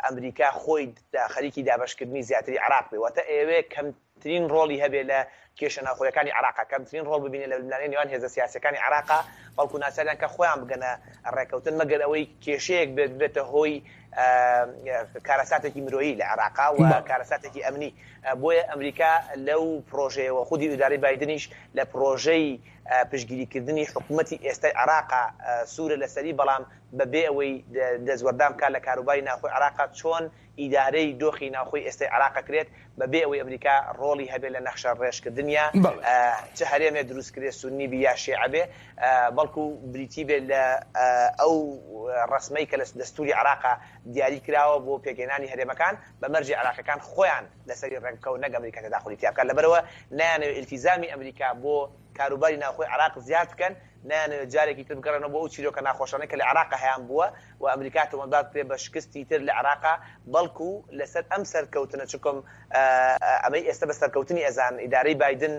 ئەمریکا خۆی خەریکی دابەشکردنی زیاتری عێراق بێ واتە ئەیەوێ کەم ترین ڕۆڵی هەبێ لە کێشە ناوخۆیەکانی عێراقا، کەمترین ڕۆڵ ببینێ لە ململانێی نێوان هێزە سیاسیەکانی عێراقا، بەڵکو ناچاریان کە خۆیان بگەنە ڕێکەوتن، مەگەر ئەوەی کێشەیەک بێت ببێتە هۆی کارەساتێکی مرۆیی لە عێراقا و کارەساتێکی ئەمنی. بۆیە ئەمریکا لەو پرۆژەیەوە خودی ئیدارەی بایدنیش لە پرۆژەی پشتگیریکردنی حکومەتی ئێستای عێراقا سوورە لەسەری، بەڵام بەبێ ئەوەی دەستوەردان بکات لە کاروباری ناوخۆی عێراقا چۆن ئیدارەی دۆخی ناوخۆی ئێستای عێراق ئەکرێت بەبێ ئەوەی ئەمریکا ڕۆڵی هەبێت لە نەخشە ڕێژکردنیا چ هەرێمێ دروست کرێ سوننی بی یا شێعە بێ بەڵکو بریتی بێت لە ئەو ڕەسمەی کە لە دەستوری عێراقا دیاری کراوە بۆ پێکهێنانی هەرێمەکان بە مەرجی عێراقیەکان خۆیان لەسەری ڕێک بکەون نەک ئەمریکا تەداخولی تیا بکات لەبەرئەوە نایانەوێت ئیلتیزامی ئەمریکا بۆ کاروباری ناوخۆی عێراق زیاد بکەن، نایانەوێت جارێکی تر بگەڕێنەوە بۆ ئەو چیرۆکە ناخۆشانەی کە لە عێراقا هەیان بووە و ئەمریکا تۆمەتبار بکرێت بە شکستی تر لە عێراقا، بەڵکو لەسەر ئەم سەرکەوتنە چونکم ئەمەی ئێستا بە سەرکەوتنی ئەزانن، ئیدارەی بایدن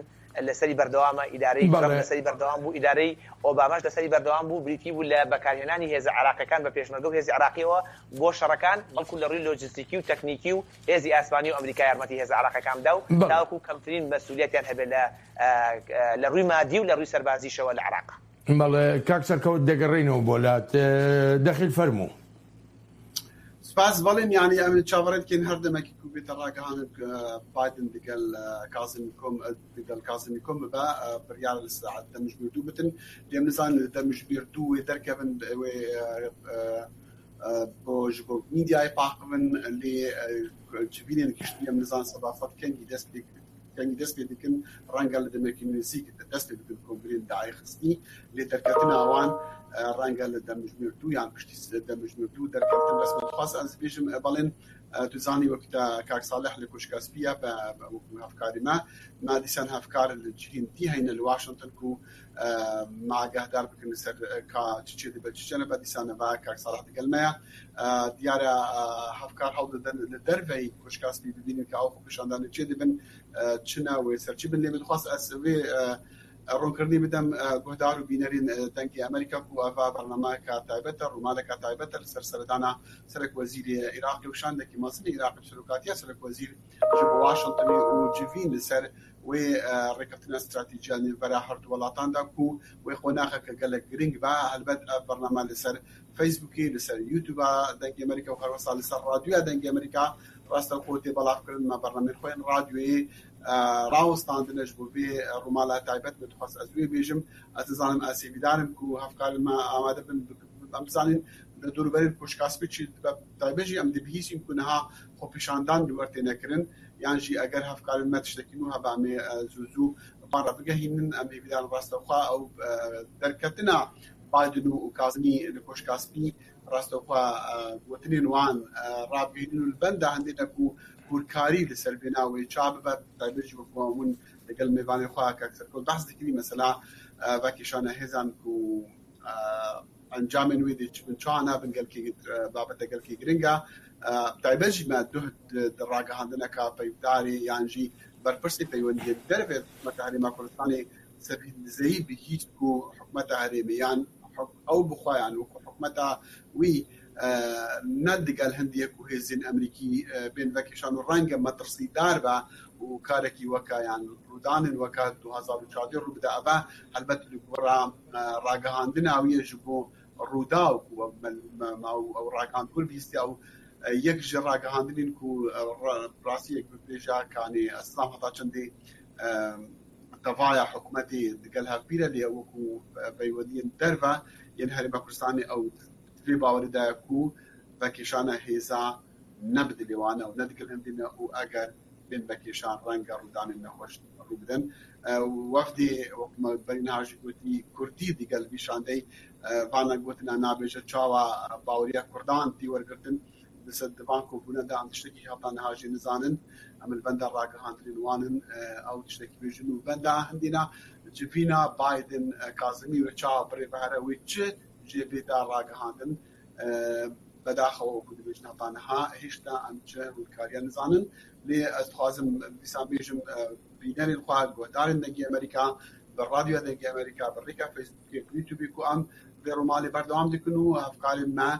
لەسەری بەردەوامە، ئیدارەی ترەمپ لەسەری بەردەوام بوو، ئیدارەی ئۆباماش لەسەری بەردەوام بوو، بریتی بوو لە بەکارهێنانی هێزە عێراقیەکان بە پێشمەرگە و هێزی عێراقیەوە بۆ شەڕەکان، بەڵکو لە ڕووی لۆجستیکی و تەکنیکی و هێزی ئاسمانی و ئەمریکا یارمەتی هێزە عێراقیەکان بدا و تاوەکو کەمترین مەسولیەتیان هەبێت لە لە ڕووی مادی و لە ڕووی سەربازیشەوە لە عێراق. بەڵێ کاک سەرکەوت دەگەڕێینەوە بۆ لات دەخیل فەرموو. سپاس بەڵێن یانی ئەمن چاوەڕێ دکەین هەر دەمەکی کو بێتە ڕاگەهانن بایدن دگەل کازمی کۆم دگەل کازمی کۆم ببە بڕیار لە ساعەت دەمژمێر دوو بتن لێم نزان لە دەمژمێر دوو وێ دەرکەون وێ بۆ ji bo میدیای پاقبن لێ جڤینên گشتی em nizan sedafet kengî dest pê kengî dest pê dikin ڕەنگە لە دەمێکی نزیک دەست پێ بکەن کۆنگرێن داعی خستنی لێ دەرکەتنا وان ڕەنگە لە دەمژمێر دوو یان پشتی دەمژمێر دوو دەرکەوتن بەس من خواست ئەز بێژم بەڵێن تو زانی وەک تا کاک ساڵح لە کۆشکا سپیە بە وەکو هەفکاری ما ما دیسان هەفکار لە جهین دی هەینە لە واشنتن کو ما ئاگاهدار بکەن لەسەر کا چ چێ دەبێت چ چێ نەبێت دیسانەوە کاک ساڵح دەگەل مەیە دیارە هەفکار هەوڵ دەدەن لە دەرڤەی کۆشکا سپی ببینن کە ئەو خۆپیشاندانە چێ دەبن چ ناوێ سەر چی بن لێ بدخواست ئەس وێ ڕوونکردنی بدەم گۆدار و بینەرین دەنگی ئەمریکا کو ئەڤ بەرنامەکە تایبەتە ڕوومالەکە تایبەتە لەسەر سەردانە سەرەک وەزیری عیراقی و شاندێکی مەزنی عیراقی سەرۆکاتیە سەرەک وەزیر ji bo Washingtonê û civîn li ser wê rêkeftina stratejîya nêvbera her du welatan da ku wê qonaxeke gelek giring be. Helbet ev bername li ser Facebookê, li ser YouTube'a Dengê Amerîka û herwisa li ser radyoya Dengê Amerîka rastewxwe tê belavkirin. Me bernameyên xwe yên radyoyê rawestandine ji bo vê rûmala taybet. Min dixwest ez wê bêjim. Ez nizanim ez hêvîdar im ku hevkarên me amade bin em bizanîn li dorûberên Koşka Spî çi dibe. Taybet jî em dibihîsîn ku niha xwepêşandan li wer têne kirin yan jî eger hevkarên me tiştekî nû hebe em ê zû zû van re bigehînin. Em hêvîdar in rastewxwe ew derketina Biden û Kazimî li Koşka Spî rastewxwe gotinên wan rabigihînin û li benda hindê ne ku hûrkarî li ser vêna wê ça bibe. Taybet jî wek hûn li gel mêvanê xwe Kak Serkol behs dikirî mesela vekêşana hêzan ku Encamên wê dê çi bin çawa nabin gelkî babete gelkî giring e. Taybet jî me duh di ragihandineka peyvdarê yan jî berpirsê peywendiyên derve hikûmeta Herêma Kurdistanê Sebîl Dizeyî bihîst ku hikûmeta herêmê yan ew bi xwe yan wekû hikûmeta wî. نە دگەل هەندیە کو هێزێن ئەمریکی بێن ڤەکێشان و ڕەنگە مەترسیدار بە و کارەکی وەکا یان ڕوودانێن وەکا 2014 ڕوو بدە ئەڤە هەلبەت لە گۆرا ڕاگەهاندنا ویە ژ بۆ ڕووداو کو ئەو ڕاگەهاند هور بیستیا و یەک ژ ڕاگەهاندنین کو ڕاستیەک ببێژە کانێ ئەسلام هەتا چەندێ تەڤایا حکومەتێ دگەل هەڤبیرە لێ وەکو پەیوەندیێن دەرڤە یێن هەرێما کوردستانێ ئەو دڤێ باوەرێ دایە کو ڤەکێشانە هێزا نە بدلێ وانە و نە دگەل هەندێنە و ئەگەر بێن ڤەکێشان ڕەنگە ڕوودانێن نەخوەش ڕوو بدەن. وەفدێ وەکو مە بەری نها ژی گۆتی کوردی دگەل ڤی شاندەی ڤانە گۆتنا نابێژە چاوا باوەریا کوردان تی وەرگرتن لسەر دڤان کۆبوونە دا ئەم تشتەکی هەتا نها ژی نزانن ئەم بەندا ڕاگەهاندنێن وانن ئەو تشتەکی بێژن و بەندا هەندینا جڤینا بایدن کازمی وێ چاوا بڕێ بەهرە وێ چ ژێ بێتا ڕاگەهاندن بەداخەوە وەکو دبێژن هەتا نها هێشتا ئەم چ هوورکاریان نزانن لێ ئەز دخوازم دیسان بێژم بینەرێن خوە گۆهدارێن دەنگی ئەمریکا بە ڕادیۆ دەنگی ئەمریکا بە ڕیکا فەیسبووکێ یوتیوبی کو ئەم ڤێ ڕووماڵێ بەردەوام دکن و هەڤکارێن مە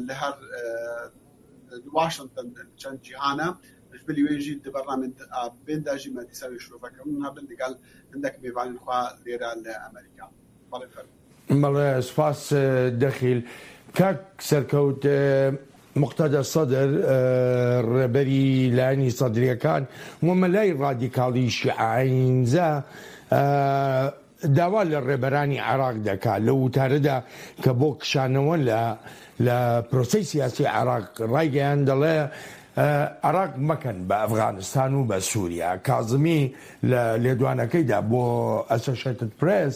لە هەر واشنتن چەند جیهانە ژ بلی وێ ژی د بەرنامێن بێن دا ژی مە دیسا وێ شرۆڤەکردن هەبن دگەل هندەک مێڤانێن خوە لێرە لە ئەمریکا. بەڵێ فەرموو. بەڵێ سپاس دەخیل. کاک سەرکەوت موقتەدا سەدر ڕێبەری لایەنی سەدرییەکان و مەلای ڕادیکاڵی شیعە ئایینزا داوا لە ڕێبەرانی عێراق دەکات لەو وتارەدا کە بۆ کشانەوە لە لە پرۆسەی سیاسی عێراق ڕایگەیاند دەڵێ عێراق مەکەن بە ئەفغانستان و بە سووریا. کازمی لە لێدوانەکەیدا بۆ ئەسۆشێتد پرێس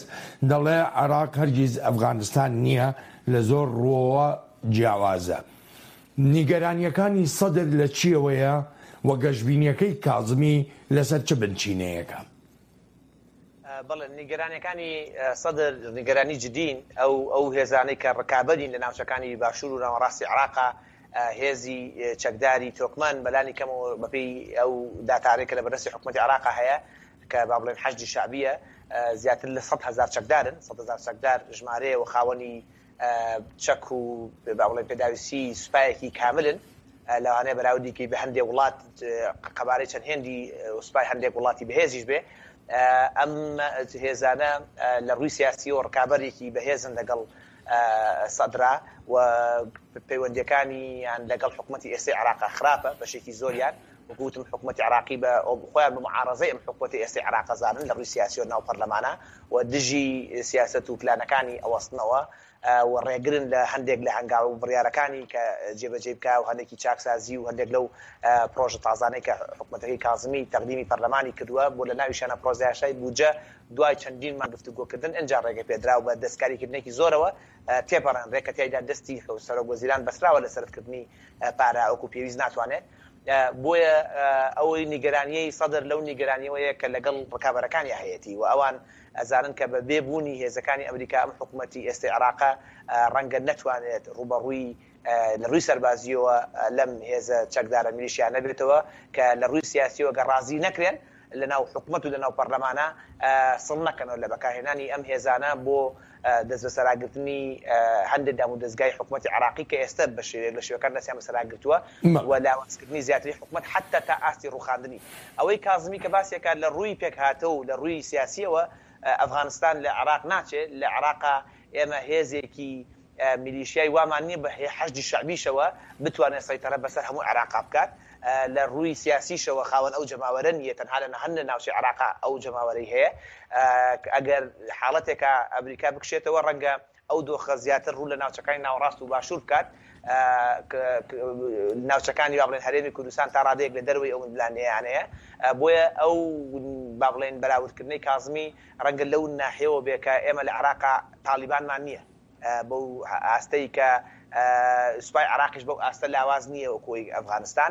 دەڵێ عێراق هەرگیز ئەفغانستان نییە، لە زۆر ڕووەوە جیاوازە. نیگەرانییەکانی سەدر لە چییەوەیە و گەشبینییەکەی کازمی لەسەر چ بنچینەیەکە؟ بەڵێ، نیگەرانییەکانی سەدر نیگەرانی جدین. ئەو ئەو هێزانەی کە ڕکابەرین لە ناوچەکانی باشوور و ناوەڕاستی عێراقا، هێزی چەکداری تۆکمەن، بەلانی کەمەوە بەپێی ئەو داتانەی کە لە بەردەستی حکومەتی عێراقا هەیە، کە با بڵێن حەشدی شەعبییە، زیاتر لە 100,000 چەکدارن. 100,000 چەکدار ژمارەیە و خاوەنی چەک و با بڵێن پێداویستی سوپایەکی کاملن. لەوانەیە بەراوردی کەی بە هەندێک وڵات قەبارەی چەند هێندی سوپای هەندێک وڵاتی بەهێزیش بێ. ئەم هێزانە لە ڕووی سیاسیەوە ڕکابەرێکی بەهێزن لەگەڵ سەدرا و پەیوەندیەکانیان لەگەڵ حکومەتی ئێستەی عێراقا خراپە بەشێکی زۆریان وەکو وتم حکومەتی عێراقی بە خۆیان بە معارەزەی ئەم حکومەتی ئێستەی عێراق ئەزانن لە ڕووی سیاسیەوە ناو پەرلەمانە و دژی سیاسەت و پلانەکانی ئەوەستنەوە و ڕێگرن لە هەندێک لە هەنگاو و بڕیارەکانی کە جێبەجێی بکا و هەندێکی چاکسازی و هەندێک لەو پرۆژە تازانەی کە حکومەتەکەی کازمی تەقدیمی پەرلەمانی کردووە بۆ لە ناویشیانە پرۆژەیاسای بودجە دوای چەندین مانگ گفتوگۆکردن ئنجا ڕێگەپێدراو بە دەستکاریکردنێکی زۆرەوە تێپەڕێنرێ کە تیایدا دەستی سەرۆک وەزیران بەستراوە لە سەرفکردنی پارە وەکو پێویست ناتوانێت بۆیە ئەوەی نیگەرانیەی سەدر لەو نیگەرانیەوەیە کە لەگەڵ ڕکابەرەکانی هەیەتی و ئەوان ئەزانن کە بە بێ بوونی هێزەکانی ئەمریکا ئەم حکومەتی ئێستەی عێراقە ڕەنگە نەتوانێت ڕووبەڕووی لە ڕووی سەربازییەوە لەم هێزە چەکدارە میلیشیانە بێتەوە کە لە ڕووی سیاسییەوە گەر ڕازی نەکرێن لە ناو حکومەت و لە ناو پەرلەمانە سڵ نەکەنەوە لە بەکارهێنانی ئەم هێزانە بۆ دەستبەسەراگرتنی هەندێک دامودەزگای حکومەتی عێراقی کە ئێستا بە شێوەیەک لە شێوەکان دەستیان بەسەراگرتووە و لاوازکردنی زیاتری حکومەت حەتتا تا ئاستی ڕووخاندنی. ئەوەی کازمی کە باسی ئەکات لە ڕووی پێکهاتە و لە ڕووی سیاسییەوە ئەفغانستان لە عێراق ناچێ، لە عێراقا ئێمە هێزێکی میلیشیای وامان نییە بە حەشدی شەعبیشەوە بتوانێت سەیتەرە بەسەر هەموو عێراقا بکات، لە ڕووی سیاسیشەوە خاوەن ئەو جەماوەرە نییە، تەنها لە هەندێک ناوچەی عێراقا ئەو جەماوەرەی هەیە. ئەگەر حاڵەتێکا ئەمریکا بکشێتەوە ڕەنگە ئەو دۆخە زیاتر ڕوو لە ناوچەکانی ناوەڕاست و باشوور بکات، ناوچەکانی با بڵێین هەرێمی کوردستان تا ڕادەیەک لە دەرەوەی ئەو ململانێیانەیە، بۆیە ئەو با بڵێین بەراوردکردنەی کازمی ڕەنگە لەو ناحیەوە بێ کە ئێمە لە عێراقا تاڵیبانمان نییە بەو ئاستەی کە سوپای عێراقیش بەو ئاستە لاواز نییە وەکو ئەوی ئەفغانستان،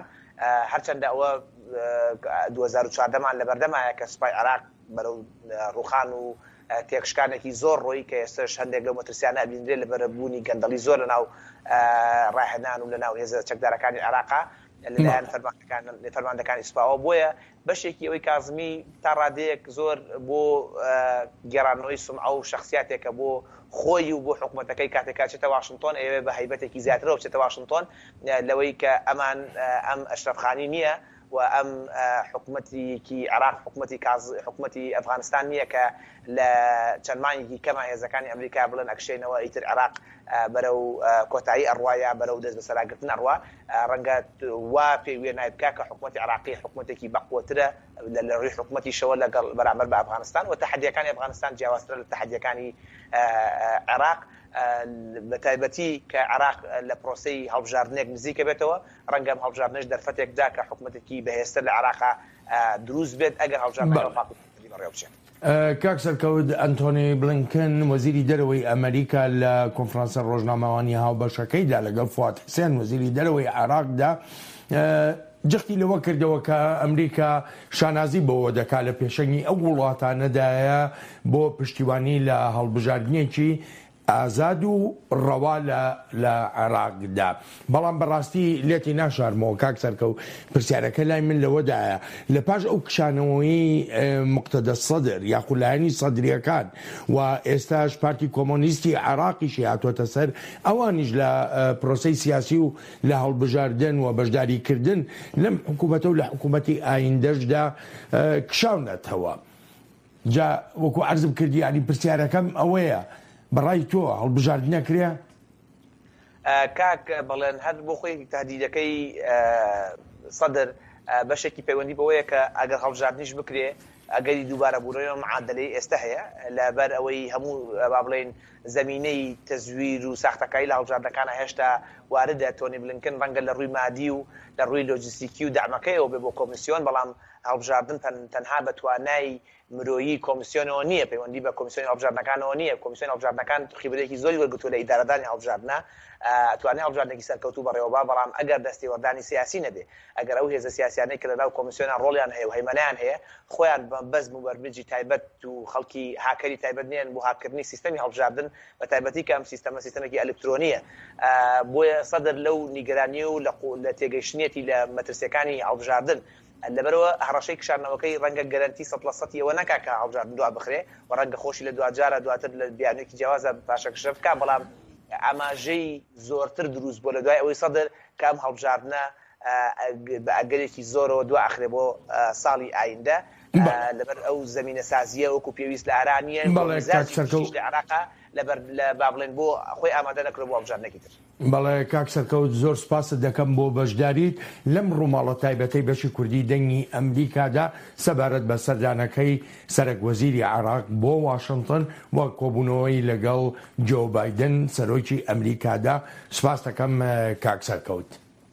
هەرچەندە ئەوە 2014 مان لەبەردەمایە کە سوپای عێراق بەرەو ڕووخان و تێکشکانێکی زۆر ڕۆیی کە ئێستەش هەندێک لەو مەترسیانە ئەبینرێت لەبەر بوونی گەندەڵی زۆر لەناو ڕاهێنان و لەناو هێزە چەکدارەکانی عێراقا. لەلایەن فەرماندەکان فەرماندەکانی سوپاوە بۆیە بەشێکی ئەوەی کازمی تا ڕادەیەک زۆر بۆ گێڕانەوەی سومعە و شەخسیاتێکە بۆ خۆی و بۆ حکومەتەکەی کاتێک کە ئەچێتە واشنتۆن ئەیەوێ بە هەیبەتێکی زیاترەوە بچێتە واشنتۆن لەوەی کە ئەمان ئەم ئەشرەف خانی نییە و ئەم حکومەتێکی عێراق حکومەتی کاز حکومەتی ئەفغانستان نییە کە لە چەند مانگێکی کەما هێزەکانی ئەمریکا بڵێن ئەکشێنەوە ئیتر عێراق بەرەو کۆتایی ئەڕوا یا بەرەو دەستبەسەراگرتن ئەڕوا، ڕەنگە وا پێ وێنای بکا کە حکومەتی عێراقی حکومەتێکی بەقوەترە لە ڕووی حکومەتیشەوە لەگەڵ بەرامبەر بە ئەفغانستان و تەحەدییەکانی ئەفغانستان جیاوازترە لە تەحەدییەکانی عێراق بە تایبەتی کە عێراق لە پرۆسەی هەڵبژاردنێک نزیکە بێتەوە، ڕەنگە ئەم هەڵبژاردنەش دەرفەتێک بدا کە حکومەتێکی بەهێزتر لە عێراقا دروست بێت ئەگەر هەڵبژاردنەکە بە پاک و پوختی بەڕێوە بچێت. کاک سەرکەوت، ئەنتۆنی بلینکن، وەزیری دەرەوەی ئەمەریکا لە کۆنفرانسە ڕۆژنامەوانییە هاوبەشەکەیدا لەگەڵ فواد حسێن، وەزیری دەرەوەی عێراقدا، جەختی لەوە کردەوە کە ئەمریکا شانازی بەوە دەکات لە پێشەنگی ئەو وڵاتانەدایە بۆ پشتیوانی لە هەڵبژاردنێکی ئازاد و ڕەوا لە لە عێراقدا. بەڵام بەڕاستی لێتی ناشارمەوە کاک سەرکەوت پرسیارەکە لای من لەوەدایە لە پاش ئەو کشانەوەی موقتەدا سەدر یاخود لایەنی سەدریەکان و ئێستاش پارتی کۆمۆنیستی عێراقیشی هاتۆتە سەر ئەوانیش لە پرۆسەی سیاسی و لە هەڵبژاردن و بەشداریکردن لەم حکوومەتە و لە حکوومەتی ئایندەشدا کشاونەتەوە. جا وەکو عەرزم کرد یانی پرسیارەکەم ئەوەیە بەڕای تۆ هەڵبژاردن ئەکرێ؟ کاک بەڵێن هەر بۆ خۆی تهدیدەکەی سەدر بەشێکی پەیوەندی بەوەیە کە ئەگەر هەڵبژاردنیش بکرێ ئەگەری دووبارە بوونەوەی ئەم معادلەی ئێستا هەیە لەبەر ئەوەی هەموو با بڵێین زەمینەی تەزویر و ساختەکاری لە هەڵبژاردنەکانە هێشتا واردە تۆنی بلینکن ڕەنگە لە ڕووی مادی و لە ڕووی لۆجستیکی و دەعمەکەیەوە بێ بۆ کۆمیسیۆن بەڵام هەڵبژاردن تەنها بە توانای مرۆیی کۆمسیۆنەوە نییە، پەیوەندی بە کۆمسیۆنی هەڵبژاردنەکانەوە نییە، کۆمسیۆنی هەڵبژاردنەکان خیبرەیەکی زۆری وەرگرتووە لە ئیدارەدانی هەڵبژاردنە، ئەتوانێ هەڵبژاردنێکی سەرکەوتوو بەڕێوەبا، بەڵام ئەگەر دەستێوەردانی سیاسی نەبێ، ئەگەر ئەو هێزە سیاسیانەی کە لەناو کۆمسیۆنا ڕۆڵیان هەیە و هەیمەنەیان هەیە، خۆیان بە مەبەست موبەرمجی تایبەت و خەڵکی هاکەری تایبەت نین بۆ هاککردنی سیستەمی هەڵبژاردن، بە تایبەتی کە ئەم سیستەمە سیستەمێکی ئەلکترۆنییە، بۆیە سەدر لەو نیگەرانی و لە تێگەیشتنیەتی لە مەترسییەکانی هەڵبژاردن، لەبەرئەوە هەڕەشەی کشاندنەوەکەی ڕەنگە گەرەنتی سەد لە سەتی ئەوە نەکا کە هەڵبژاردن دوا بخرێ و ڕەنگە خۆشی لە دواجارا دواتر لە بیانوویەکی جیاوازا پاشەکشە بکا، بەڵام ئاماژەی زۆرتر دروست بووە لە دوای ئەوەی سەدر کە ئەم هەڵبژاردنە بە ئەگەرێکی زۆرەوە دوا ئەخرێ بۆ ساڵی ئایندە لەبەر ئەو زەمینەسازییە وەکو پێویست لە ئارا نییە و میزاجی گشتیش لە عێراقا لەبەر با بڵێین بۆ خۆی ئامادە نەکردووە بۆ هەڵبژاردنێکی تر. بەڵێ کاک سەرکەوت زۆر سوپاست دەکەم بۆ بەشداریت لەم ڕووماڵە تایبەتەی بەشی کوردی دەنگی ئەمریکادا سەبارەت بە سەردانەکەی سەرەک وەزیری عێراق بۆ واشنتن و کۆبوونەوەی لەگەڵ جۆ بایدن سەرۆکی ئەمریکادا سوپاست دەکەم کاک سەرکەوت.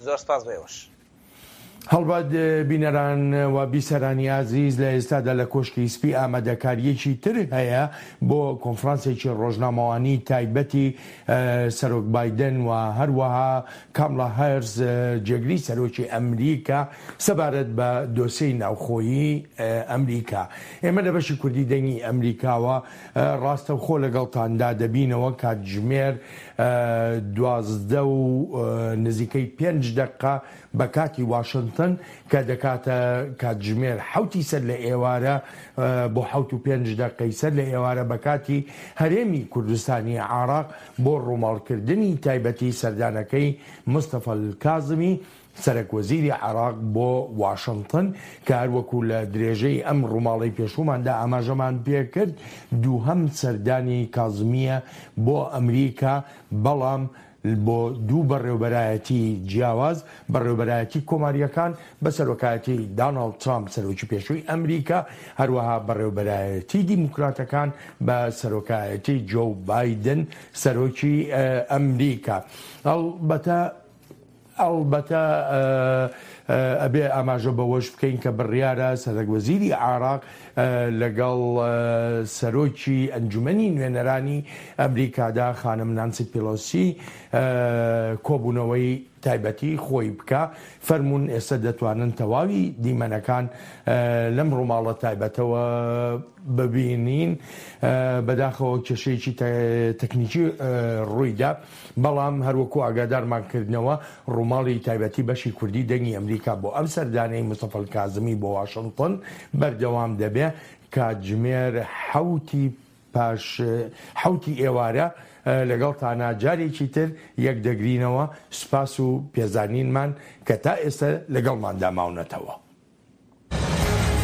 زۆر سپاس بۆ ئێوەش. هەڵبەت بینەران و بیسەرانی ئازیز لە ئێستادا لە کۆشکی سپی ئامادەکارییەکی تر هەیە بۆ کۆنفرانسێکی ڕۆژنامەوانی تایبەتی سەرۆک بایدن و هەروەها کامڵا هارس جێگری سەرۆکی ئەمریکا سەبارەت بە دۆسێی ناوخۆیی ئەمریکا. ئێمە لە بەشی کوردی دەنگی ئەمریکاوە ڕاستەوخۆ لەگەڵتاندا دەبینەوە کاتژمێر 12 و نزیکەی پێنج دەقە بە کاتی واشنتن کە دەکاتە کاتژمێر حەوتی سەر لە ئێوارە بۆ حەوت و پێنج دەقەی سەر لە ئێوارە بە کاتی هەرێمی کوردستانی عێراق بۆ ڕووماڵکردنی تایبەتی سەردانەکەی مستەفا کازمی سەرەک وەزیری عێراق بۆ واشنتن کە هەروەکو لە درێژەی ئەم ڕووماڵەی پێشووماندا ئاماژەمان پێکرد دووهەم سەردانی کازمییە بۆ ئەمریکا بەڵام بۆ دوو بەڕێوبەرایەتی جیاواز، بەڕێوبەرایەتی کۆمارییەکان بە سەرۆکایەتی داناڵد ترامپ سەرۆکی پێشووی ئەمریکا، هەروەها بەڕێوبەرایەتی دیموکراتەکان بە سەرۆکایەتی جۆو بایدن سەرۆکی ئەمریکا. ئەڵبەتە ئەڵبەتە ئەبێ ئاماژە بەوەش بکەین کە بڕیارە سەرەک وەزیری عێراق لەگەڵ سەرۆکی ئەنجومەنی نوێنەرانی ئەمریکادا خانم نانسی پیلۆسی کۆبوونەوەی. تایبەتی خۆی بکا. فەرموون ئێستا دەتوانن تەواوی دیمەنەکان لەم ڕووماڵە تایبەتەوە ببینین. بەداخەوە کێشەیەکی تەکنیکی ڕوویدا، بەڵام هەروەکو ئاگادارمان کردنەوە ڕووماڵی تایبەتی بەشی کوردی دەنگی ئەمریکا بۆ ئەم سەردانەی مستەفا کازمی بۆ واشنتن بەردەوام دەبێ کاتژمێر حەوتی پاش حەوتی ئێوارە لەگەڵتانا جارێکی تر یەک دەگرینەوە، سوپاس و پێزانینمان کە تا ئێستا لەگەڵماندا ماونەتەوە.